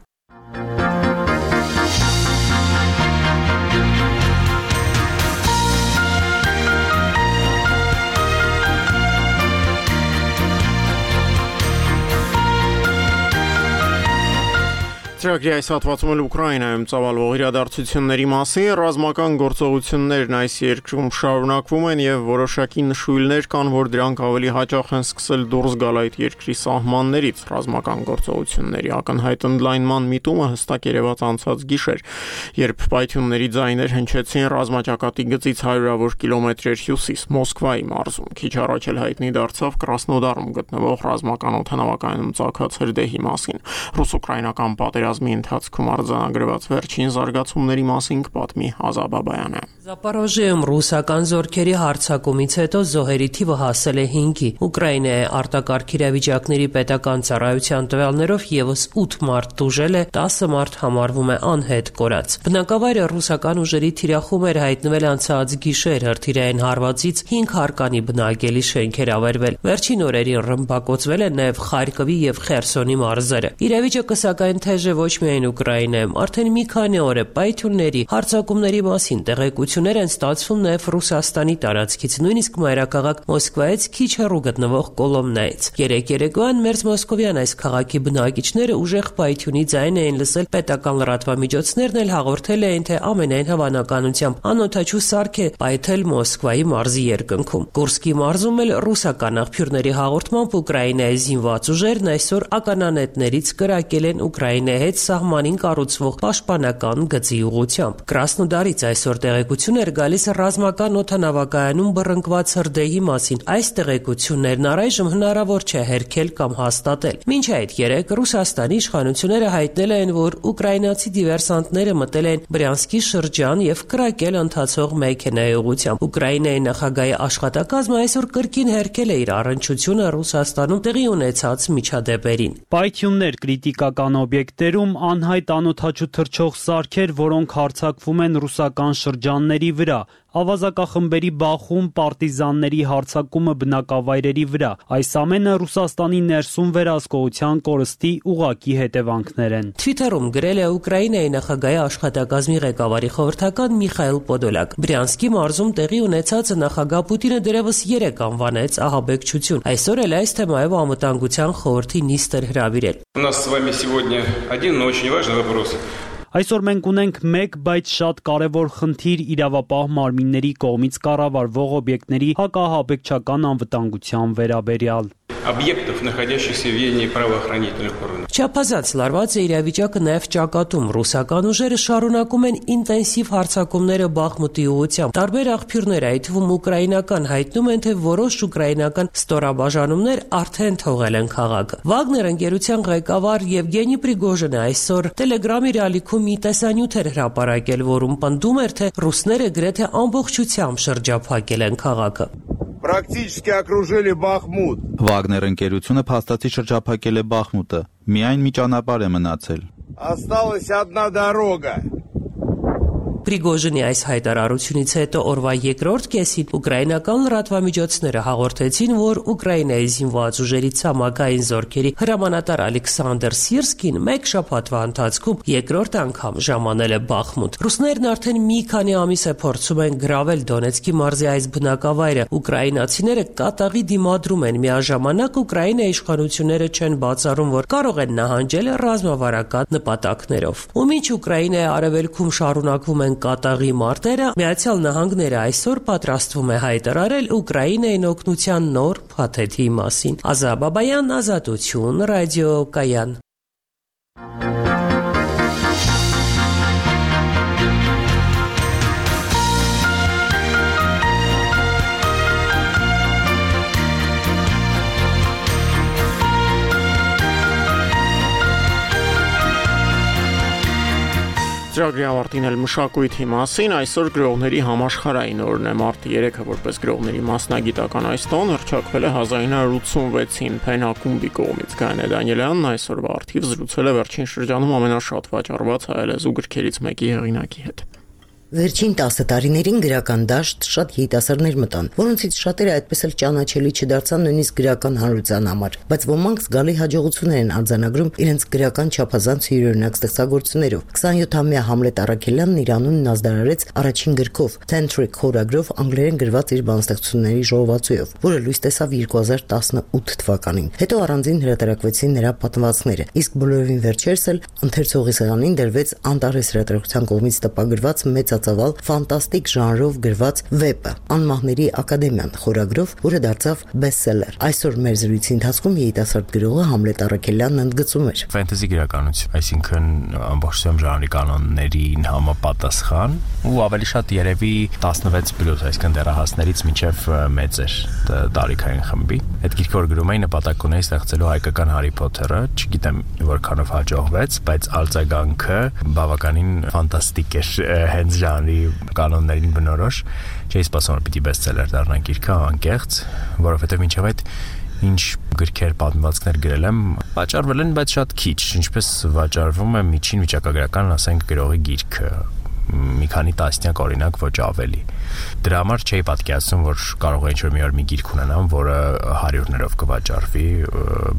A: Ծրագրի այս հատվածում էլ Ուկրաինայում ծավալվող իրադարձությունների մասին ռազմական գործողություններն այս երկրում շարունակվում են եւ որոշակի նշույլներ կան, որ դրանք ավելի հաճախ են սկսել դուրս գալ այդ երկրի սահմաններից։ Ռազմական գործողությունների ակնհայտ ընդլայնման միտումը հստակ երևաց անցած գիշեր, երբ պայթյունների ձայներ հնչեցին ռազմաճակատի գծից 100-ավոր կիլոմետրեր հյուսիս Մոսկվայի մարզում։ Քիչ առաջ էլ հայտնի դարձավ Կրասնոդարում գտնվող ռազմական օդանավակայանում ծագած հրդեհի մասին։ Ռուս-ուկրաինական պատերազմի պատերազմի ընթացքում արձանագրված վերջին զարգացումների մասին կպատմի Ազա Բաբայանը։
C: Զապարոժիայում ռուսական զորքերի հարձակումից հետո զոհերի թիվը հասել է 5-ի։ Ուկրաինայի արտակարգ իրավիճակների պետական ծառայության տվյալներով եւս 8 մարդ տուժել է, 10 մարդ համարվում է անհետ կորած։ Բնակավայրը ռուսական ուժերի թիրախում էր հայտնվել անցած գիշեր, հրթիռային հարվածից 5 հարկանի բնակելի շենքեր ավերվել։ Վերջին օրերին ռմբակոծվել են նաեւ Խարկովի եւ Խերսոնի մարզերը։ Իրավիճակը սակայն թեժ է ոչ միայն Ուկրաինայում, արդեն մի քանի օր է պայթյունների, հարձակումների մասին տեղեկություններ են ստացվում նաև Ռուսաստանի տարածքից, նույնիսկ մայրաքաղաք Մոսկվայից քիչ հեռու գտնվող Կոլոմնայից։ Երեկ երեկոյան Մերձ Մոսկովյան այս քաղաքի բնակիչները ուժեղ պայթյունի ձայն էին լսել, պետական լրատվամիջոցներն էլ հաղորդել էին, թե ամենայն հավանականությամբ անօդաչու սարք է պայթել Մոսկվայի մարզի երկնքում։ Կուրսկի մարզում էլ ռուսական աղբյուրների հաղորդմամբ Ուկրաինայի զինված ուժերն այսօր ականանետներից կրակել են Ուկրաինայի հետ սահմանին կառուցվող պաշտպանական գծի ուղղությամբ։ Կրասնոդարից այսօր տեղեկություն էր գալիս ռազմական օդանավակայանում բռնկված հրդեհի մասին։ Այս տեղեկություններն առայժմ հնարավոր չէ հերքել կամ հաստատել։ Մինչ այդ երեկ Ռուսաստանի իշխանությունները հայտնել են, որ ուկրաինացի դիվերսանտները մտել են Բրյանսկի շրջան եւ կրակել ընթացող մեքենայի ուղղությամբ։ Ուկրաինայի նախագահի աշխատակազմը այսօր կրկին հերքել է իր առնչությունը Ռուսաստանում տեղի ունեցած միջադեպերին։
D: Պայթյուններ կրիտիկական օբյեկտերում, անհայտ անօդաչու թռչող սարքեր, որոնք հարձակվում են ռուսական շրջանների վրա, ավազակախմբերի բախում, պարտիզանների հարձակումը բնակավայրերի վրա։ Այս ամենը Ռուսաստանի ներսում վերահսկողության կորստի ուղղակի հետևանքներ են։
C: Թվիթերում գրել է Ուկրաինայի նախագահի աշխատակազմի ղեկավարի խորհրդական Միխայել Պոդոլակ։ Բրյանսկի մարզում տեղի ունեցածը նախագահ Պուտինը դեռևս 3 անվանեց ահաբեկչություն։ Այսօր էլ այս թեմայով անվտանգության խորհրդի նիստ էր հրավիրել։
G: У нас с вами сегодня один, но очень важный вопрос.
D: Այսօր մենք ունենք մեկ, բայց շատ կարևոր խնդիր իրավապահ մարմինների կողմից կառավարվող օբյեկտների հակահաբեկչական անվտանգության վերաբերյալ։
G: Объектов, находящихся в ведении правоохранительных органов.
C: Չափազանց լարված է իրավիճակը նաև ճակատում։ Ռուսական ուժերը շարունակում են ինտենսիվ հարձակումները Բախմուտի ուղղությամբ։ Տարբեր աղբյուրներ, այդ թվում ուկրաինական, հայտնում են, թե որոշ ուկրաինական ստորաբաժանումներ արդեն թողել են քաղաքը։ Վագներ ընկերության ղեկավար Եվգենի Պրիգոժինը այսօր Telegram-ի ռալիքում մի տեսանյութ էր հրապարակել, որում պնդում էր, թե ռուսները գրեթե ամբողջությամբ շրջափակել են քաղաքը։
W: Практически окружили Бахмут.
M: Վագներ ընկերությունը փաստացի շրջափակել է Բախմուտը։ Միայն մի ճանապարհ է մնացել։
W: Осталась одна дорога.
C: Պրիգոժինի այս հայտարարությունից հետո օրվա երկրորդ կեսին ուկրաինական լրատվամիջոցները հաղորդեցին, որ Ուկրաինայի զինված ուժերի ցամաքային զորքերի հրամանատար Ալեքսանդր Սիրսկին մեկ շաբաթվա ընթացքում երկրորդ անգամ ժամանել է Բախմուտ։ Ռուսներն արդեն մի քանի ամիս է փորձում են գրավել Դոնեցկի մարզի այս բնակավայրը։ Ուկրաինացիները կատաղի դիմադրում են, միաժամանակ Ուկրաինայի իշխանությունները չեն բացառում, որ կարող են նահանջել ռազմավարական նպատակներով։ Ու մինչ Ուկրաինայի արևելքում շարունակվում են կատաղի մարտերը, Միացյալ Նահանգները այսօր պատրաստվում է հայտարարել Ուկրաինային օգնության նոր փաթեթի մասին։ Ազա Բաբայան, Ազատություն, ռադիո Կայան։
A: Ծրագրի ավարտին էլ մշակույթի մասին, այսօր գրողների համաշխարհային օրն է, մարտի 3-ը որպես գրողների մասնագիտական այս տոն հռչակվել է 1986-ին Փեն ակումբի կողմից։ Գայանե Դանիելյանն այսօրվա արդիվ զրուցել է վերջին շրջանում ամենաշատ վաճառված հայալեզու գրքերից մեկի հեղինակի հետ։
X: Վերջին 10 տարիներին գրական դաշտ շատ երիտասարդներ մտան, որոնցից շատերը այդպես էլ ճանաչելի չդարձան նույնիսկ գրական հանրության համար, բայց ոմանք զգալի հաջողություններ են արձանագրում իրենց գրական չափազանց յուրօրինակ ստեղծագործություններով։ 27-ամյա Համլետ Առաքելյանն իր անունն ազդարարեց առաջին գրքով, Tantric խորագրով անգլերեն գրված իր բանաստեղծությունների ժողովածուով, որը լույս տեսավ 2018 թվականին։ Հետո առանձին հրատարակվեցին նրա պատմվածքները, իսկ բոլորովին վերջերս էլ ընթերցողի սեղանին դրվեց Անտարես հրատարակության կողմից տպագրված մեծ բարձրածավալ ֆանտաստիկ ժանրով գրված վեպը Անմահների ակադեմիան խորագրով, որը դարձավ բեսթսելեր։ Այսօր մեր զրույցի ընթացքում երիտասարդ գրողը Համլետ Առաքելյանն ընդգծում էր.
F: Ֆենտեզի գրականություն, այսինքն ամբողջությամբ ժանրի կանոններին համապատասխան ու ավելի շատ երևի 16+, այսինքն դեռահասներից մինչև մեծեր տարիքային խմբի։ Այդ գիրքը որ գրում էի նպատակ ունեի ստեղծելու հայկական Հարի Փոթերը, չգիտեմ որքանով հաջողվեց, բայց արձագանքը բավականին ֆանտաստիկ էր հենց ժանրի կանոններին բնորոշ։ Չէի սպասում որ պիտի բեսթսելեր դառնա գիրքը անկեղծ, որովհետև մինչև այդ ինչ գրքեր պատմվածքներ գրել եմ, վաճառվել են, բայց շատ քիչ, ինչպես վաճառվում է միջին վիճակագրական, ասենք, գրողի գիրքը, մի քանի տասնյակ օրինակ, ոչ ավելի։ Դրա համար չէի պատկերացնում, որ կարող է ինչ-որ մի օր մի գիրք ունենամ, որը հարյուրներով կվաճառվի,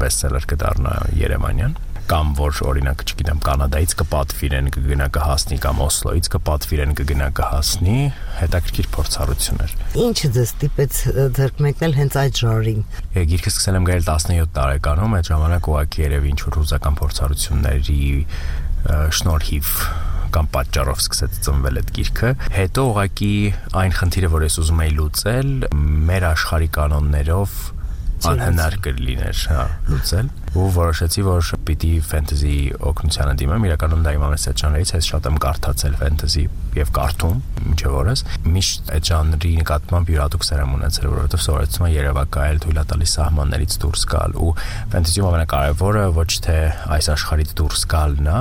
F: բեսթսելեր կդառնա երևանյան, կամ որ օրինակ, չգիտեմ, Կանադայից կպատվիրեն կգնա կհասնի կամ Օսլոյից կպատվիրեն կգնա կհասնի, հետաքրքիր փորձառություն էր։
X: Ինչը ձեզ ստիպեց ձեռք մեկնել հենց այդ ժանրին։
F: Գիրքը սկսել եմ գրել 17 տարեկանում, այդ ժամանակ ուղղակի երևի ինչ-որ հուզական փորձառությունների շնորհիվ կամ պատճառով սկսեց ծնվել այդ գիրքը։ Հետո ուղղակի այն խնդիրը, որ ես ուզում էի լուծել, մեր աշխարհի կանոններով անհնար կլիներ, լուծել, ու որոշեցի, որ պիտի ֆենտեզի օգնությանը դիմեմ, իրականում դա իմ ամենասեր ժանրերից, ես շատ եմ կարդացել ֆենտեզի եւ կարդում մինչեւ օրս, միշտ այդ ժանրի նկատմամբ յուրատուկ սեր եմ ունեցել, որովհետեւ սովորեցնում եմ երևակայել, թույլ տալիս սահմաններից դուրս գալ, ու ֆենտեզիում ամենակարևորը ոչ թե այս աշխարհից դուրս գալն է,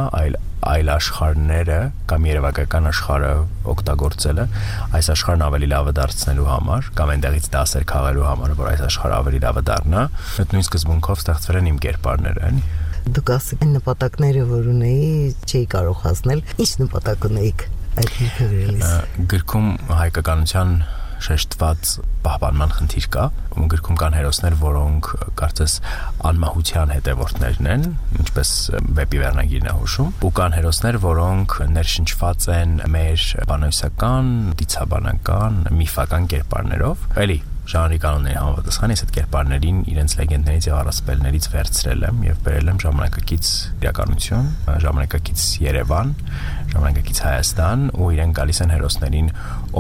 F: այլ աշխարհները կամ երևակայական աշխարհը օգտագործելը այս աշխարհն ավելի լավը դարձնելու համար կամ այնտեղից դասեր քաղելու համար, որ այս աշխարհը ավելի լավը դառնա, այդ նույն սկզբունքով ստեղծվել են իմ կերպարները։
X: Դուք ասեք այն նպատակները, որ ունեի, չէի կարող հասնել, ինչ նպատակ ունեիք այդ գիրքը գրելիս։
F: Գրքում հայկականության շեշտված պահպանման խնդիր կա, ու գրքում կան հերոսներ, որոնք կարծես անմահության հետևորդներն են, ինչպես վեպի վերնագիրն է հուշում, ու կան հերոսներ, որոնք ներշնչված են մեր բանոյսական, դիցաբանական, միֆական կերպարներով։ Էլի ժանրի կանոնների համապատասխան ես այդ կերպարներին իրենց լեգենդներից եւ առասպելներից վերցրել եմ եւ բերել եմ ժամանակակից իրականություն, ժամանակակից Երևան, ժամանակակից Հայաստան, ու իրեն գալիս են հերոսներին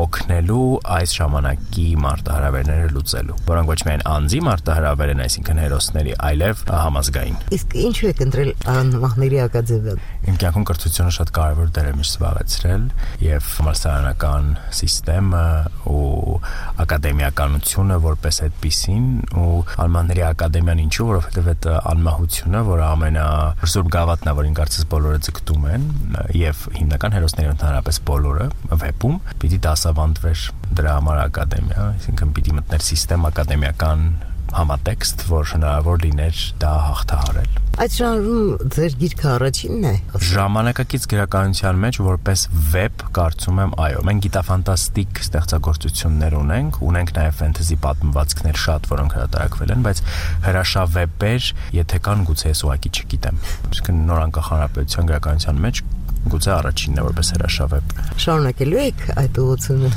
F: օգնելու այս ժամանակի մարտահրավերները լուծելու, որոնք ոչ միայն անձի մարտահրավեր են, այսինքն հերոսների, այլև համազգային։
X: Իսկ ինչու եք ընտրել Անմահների ակադեմիան։
F: Իմ կյանքում կրթությունը շատ կարևոր դեր է միշտ զբաղեցրել եւ համալսարանական համակարգը ու ակադեմիականությունը որպես այդպիսին, ու Անմահների ակադեմիան ինչու, որովհետեւ այդ անմահությունը, որը ամենազուրկ գավաթն է, որին կարծես բոլորը ձգտում են, եւ հիմնական հերոսները ընդհանրապես բոլորը վեպում պիտի դասավանդվեր դրա համար ակադեմիա, այսինքն պիտի մտներ համակարգ ակադեմիական համատեքստ, որ հնարավոր լիներ դա հաղթահարել։
X: Այդ ժանրում ձեր գիրքը առաջինն է։
F: Ժամանակակից գրականության մեջ որպես վեպ կարծում եմ, այո, մենք գիտաֆանտաստիկ ստեղծագործություններ ունենք նաև ֆենտեզի պատմվածքներ շատ, որոնք հրատարակվել են, բայց հրաշավեպեր, եթե կան, գուցե ես ուղղակի չգիտեմ։ Իսկ նոր անկախ հանրապետության գրականության մեջ գուցե առաջինն է որպես հրաշավեպ։
X: Շարունակելու եք այդ ուղղությունը։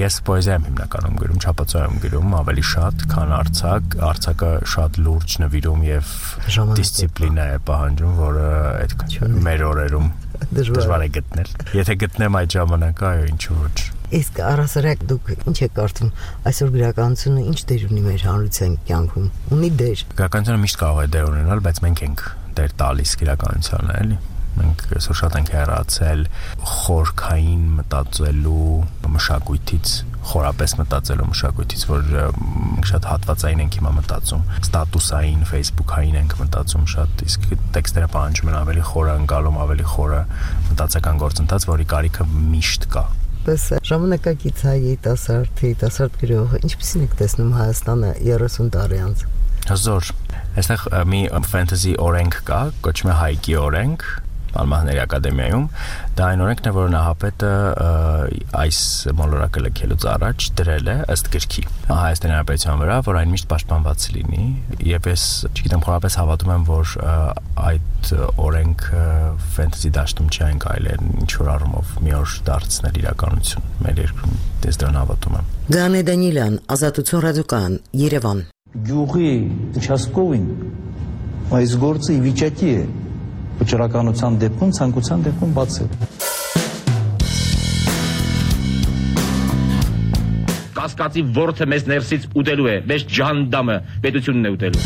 F: Ես պոեզիա եմ հիմնականում գրում, չափածո եմ գրում ավելի շատ, քան արձակ։ Արձակը շատ լուրջ նվիրում եւ դիսցիպլինա է պահանջում, որը այդ մեր օրերում դժվար է գտնել։ Եթե գտնեմ այդ ժամանակը, այո, ինչու ոչ։
X: Իսկ առասարակ դուք ինչ եք կարծում, այսօր գրականությունը ինչ դեր ունի մեր հանրության կյանքում։ Ունի դեր։
F: Գրականությունը միշտ կարող է դեր ունենալ, բայց մենք ենք դեր տալիս գրականությանը, էլի։ Մենք այսօր շատ ենք հեռացել խորքային մտածելու մշակույթից, խորապես մտածելու մշակույթից, որ շատ հատվածային ենք հիմա մտածում, ստատուսային, ֆեյսբուքային ենք մտածում շատ, իսկ տեքստերը պահանջում են ավելի խորը ընկալում, ավելի խորը մտածական գործընթաց, որի կարիքը միշտ կա։
X: Պես ժամանակակից երիտասարդ գրողը ինչպեսին եք տեսնում Հայաստանը 30 տարի անց։
F: Հզոր։ Այստեղ մի ֆենտեզի օրենք կա, կոչվում է Հայկի օրենք, Անմահների ակադեմիայում, դա այն օրենքն է, որ Նահապետը այս մոլորակը լքելուց առաջ դրել է ըստ գրքի Հայաստանի Հանրապետության վրա, որ այն միշտ պաշտպանված լինի, եւ ես չգիտեմ, խորապես հավատում եմ, որ այդ օրենքը ֆենտեզի դաշտում չի այն կարելի ինչ որ առումով մի օր դարձնել իրականություն մեր երկրում, ես դրան հավատում եմ։
X: Գանե Դանիելյան, Ազատություն ռադիոկայան, Երևան։
H: Գյուղի участковին այս գործը ի վիճակի է վճռականության դեպքում, ցանկության դեպքում բացել։
I: կասկածի ворթը մեզ ներսից ուտելու է, մեզ ջանդամը պետությունն է ուտելու։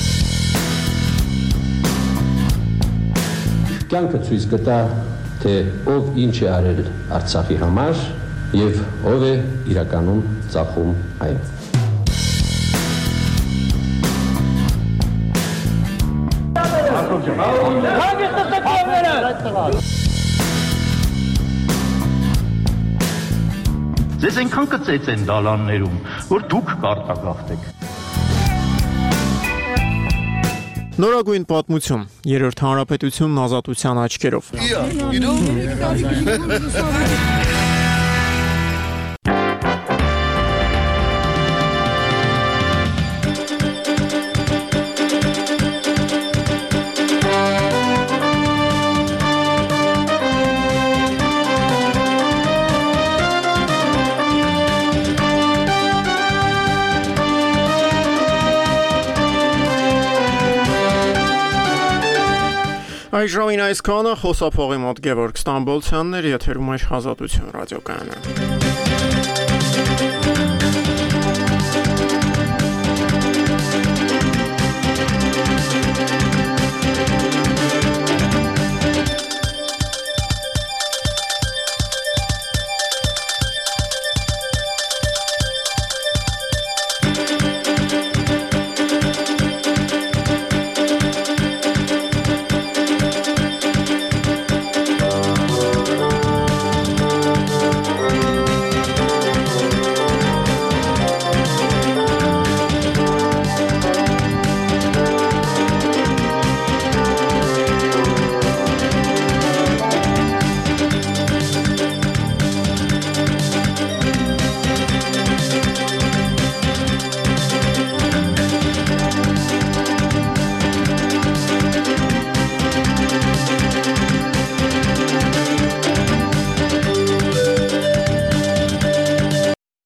J: Կյանքը ցույց կտա, թե ով ինչ է արել Արցախի համար եւ ով է իրականում ծախում այն։
H: Ձեզ այնքան կծեց են դալաններում, որ դուք կարտագաղթեք։
A: Նորագույն պատմություն, երրորդ հանրապետությունն ազատության աչքերով։ Այժմին այսքանը խոսափողի մոտ Գևորգ Ստամբոլցյանն էր, եթերում է Ազատություն ռադիոկայանը։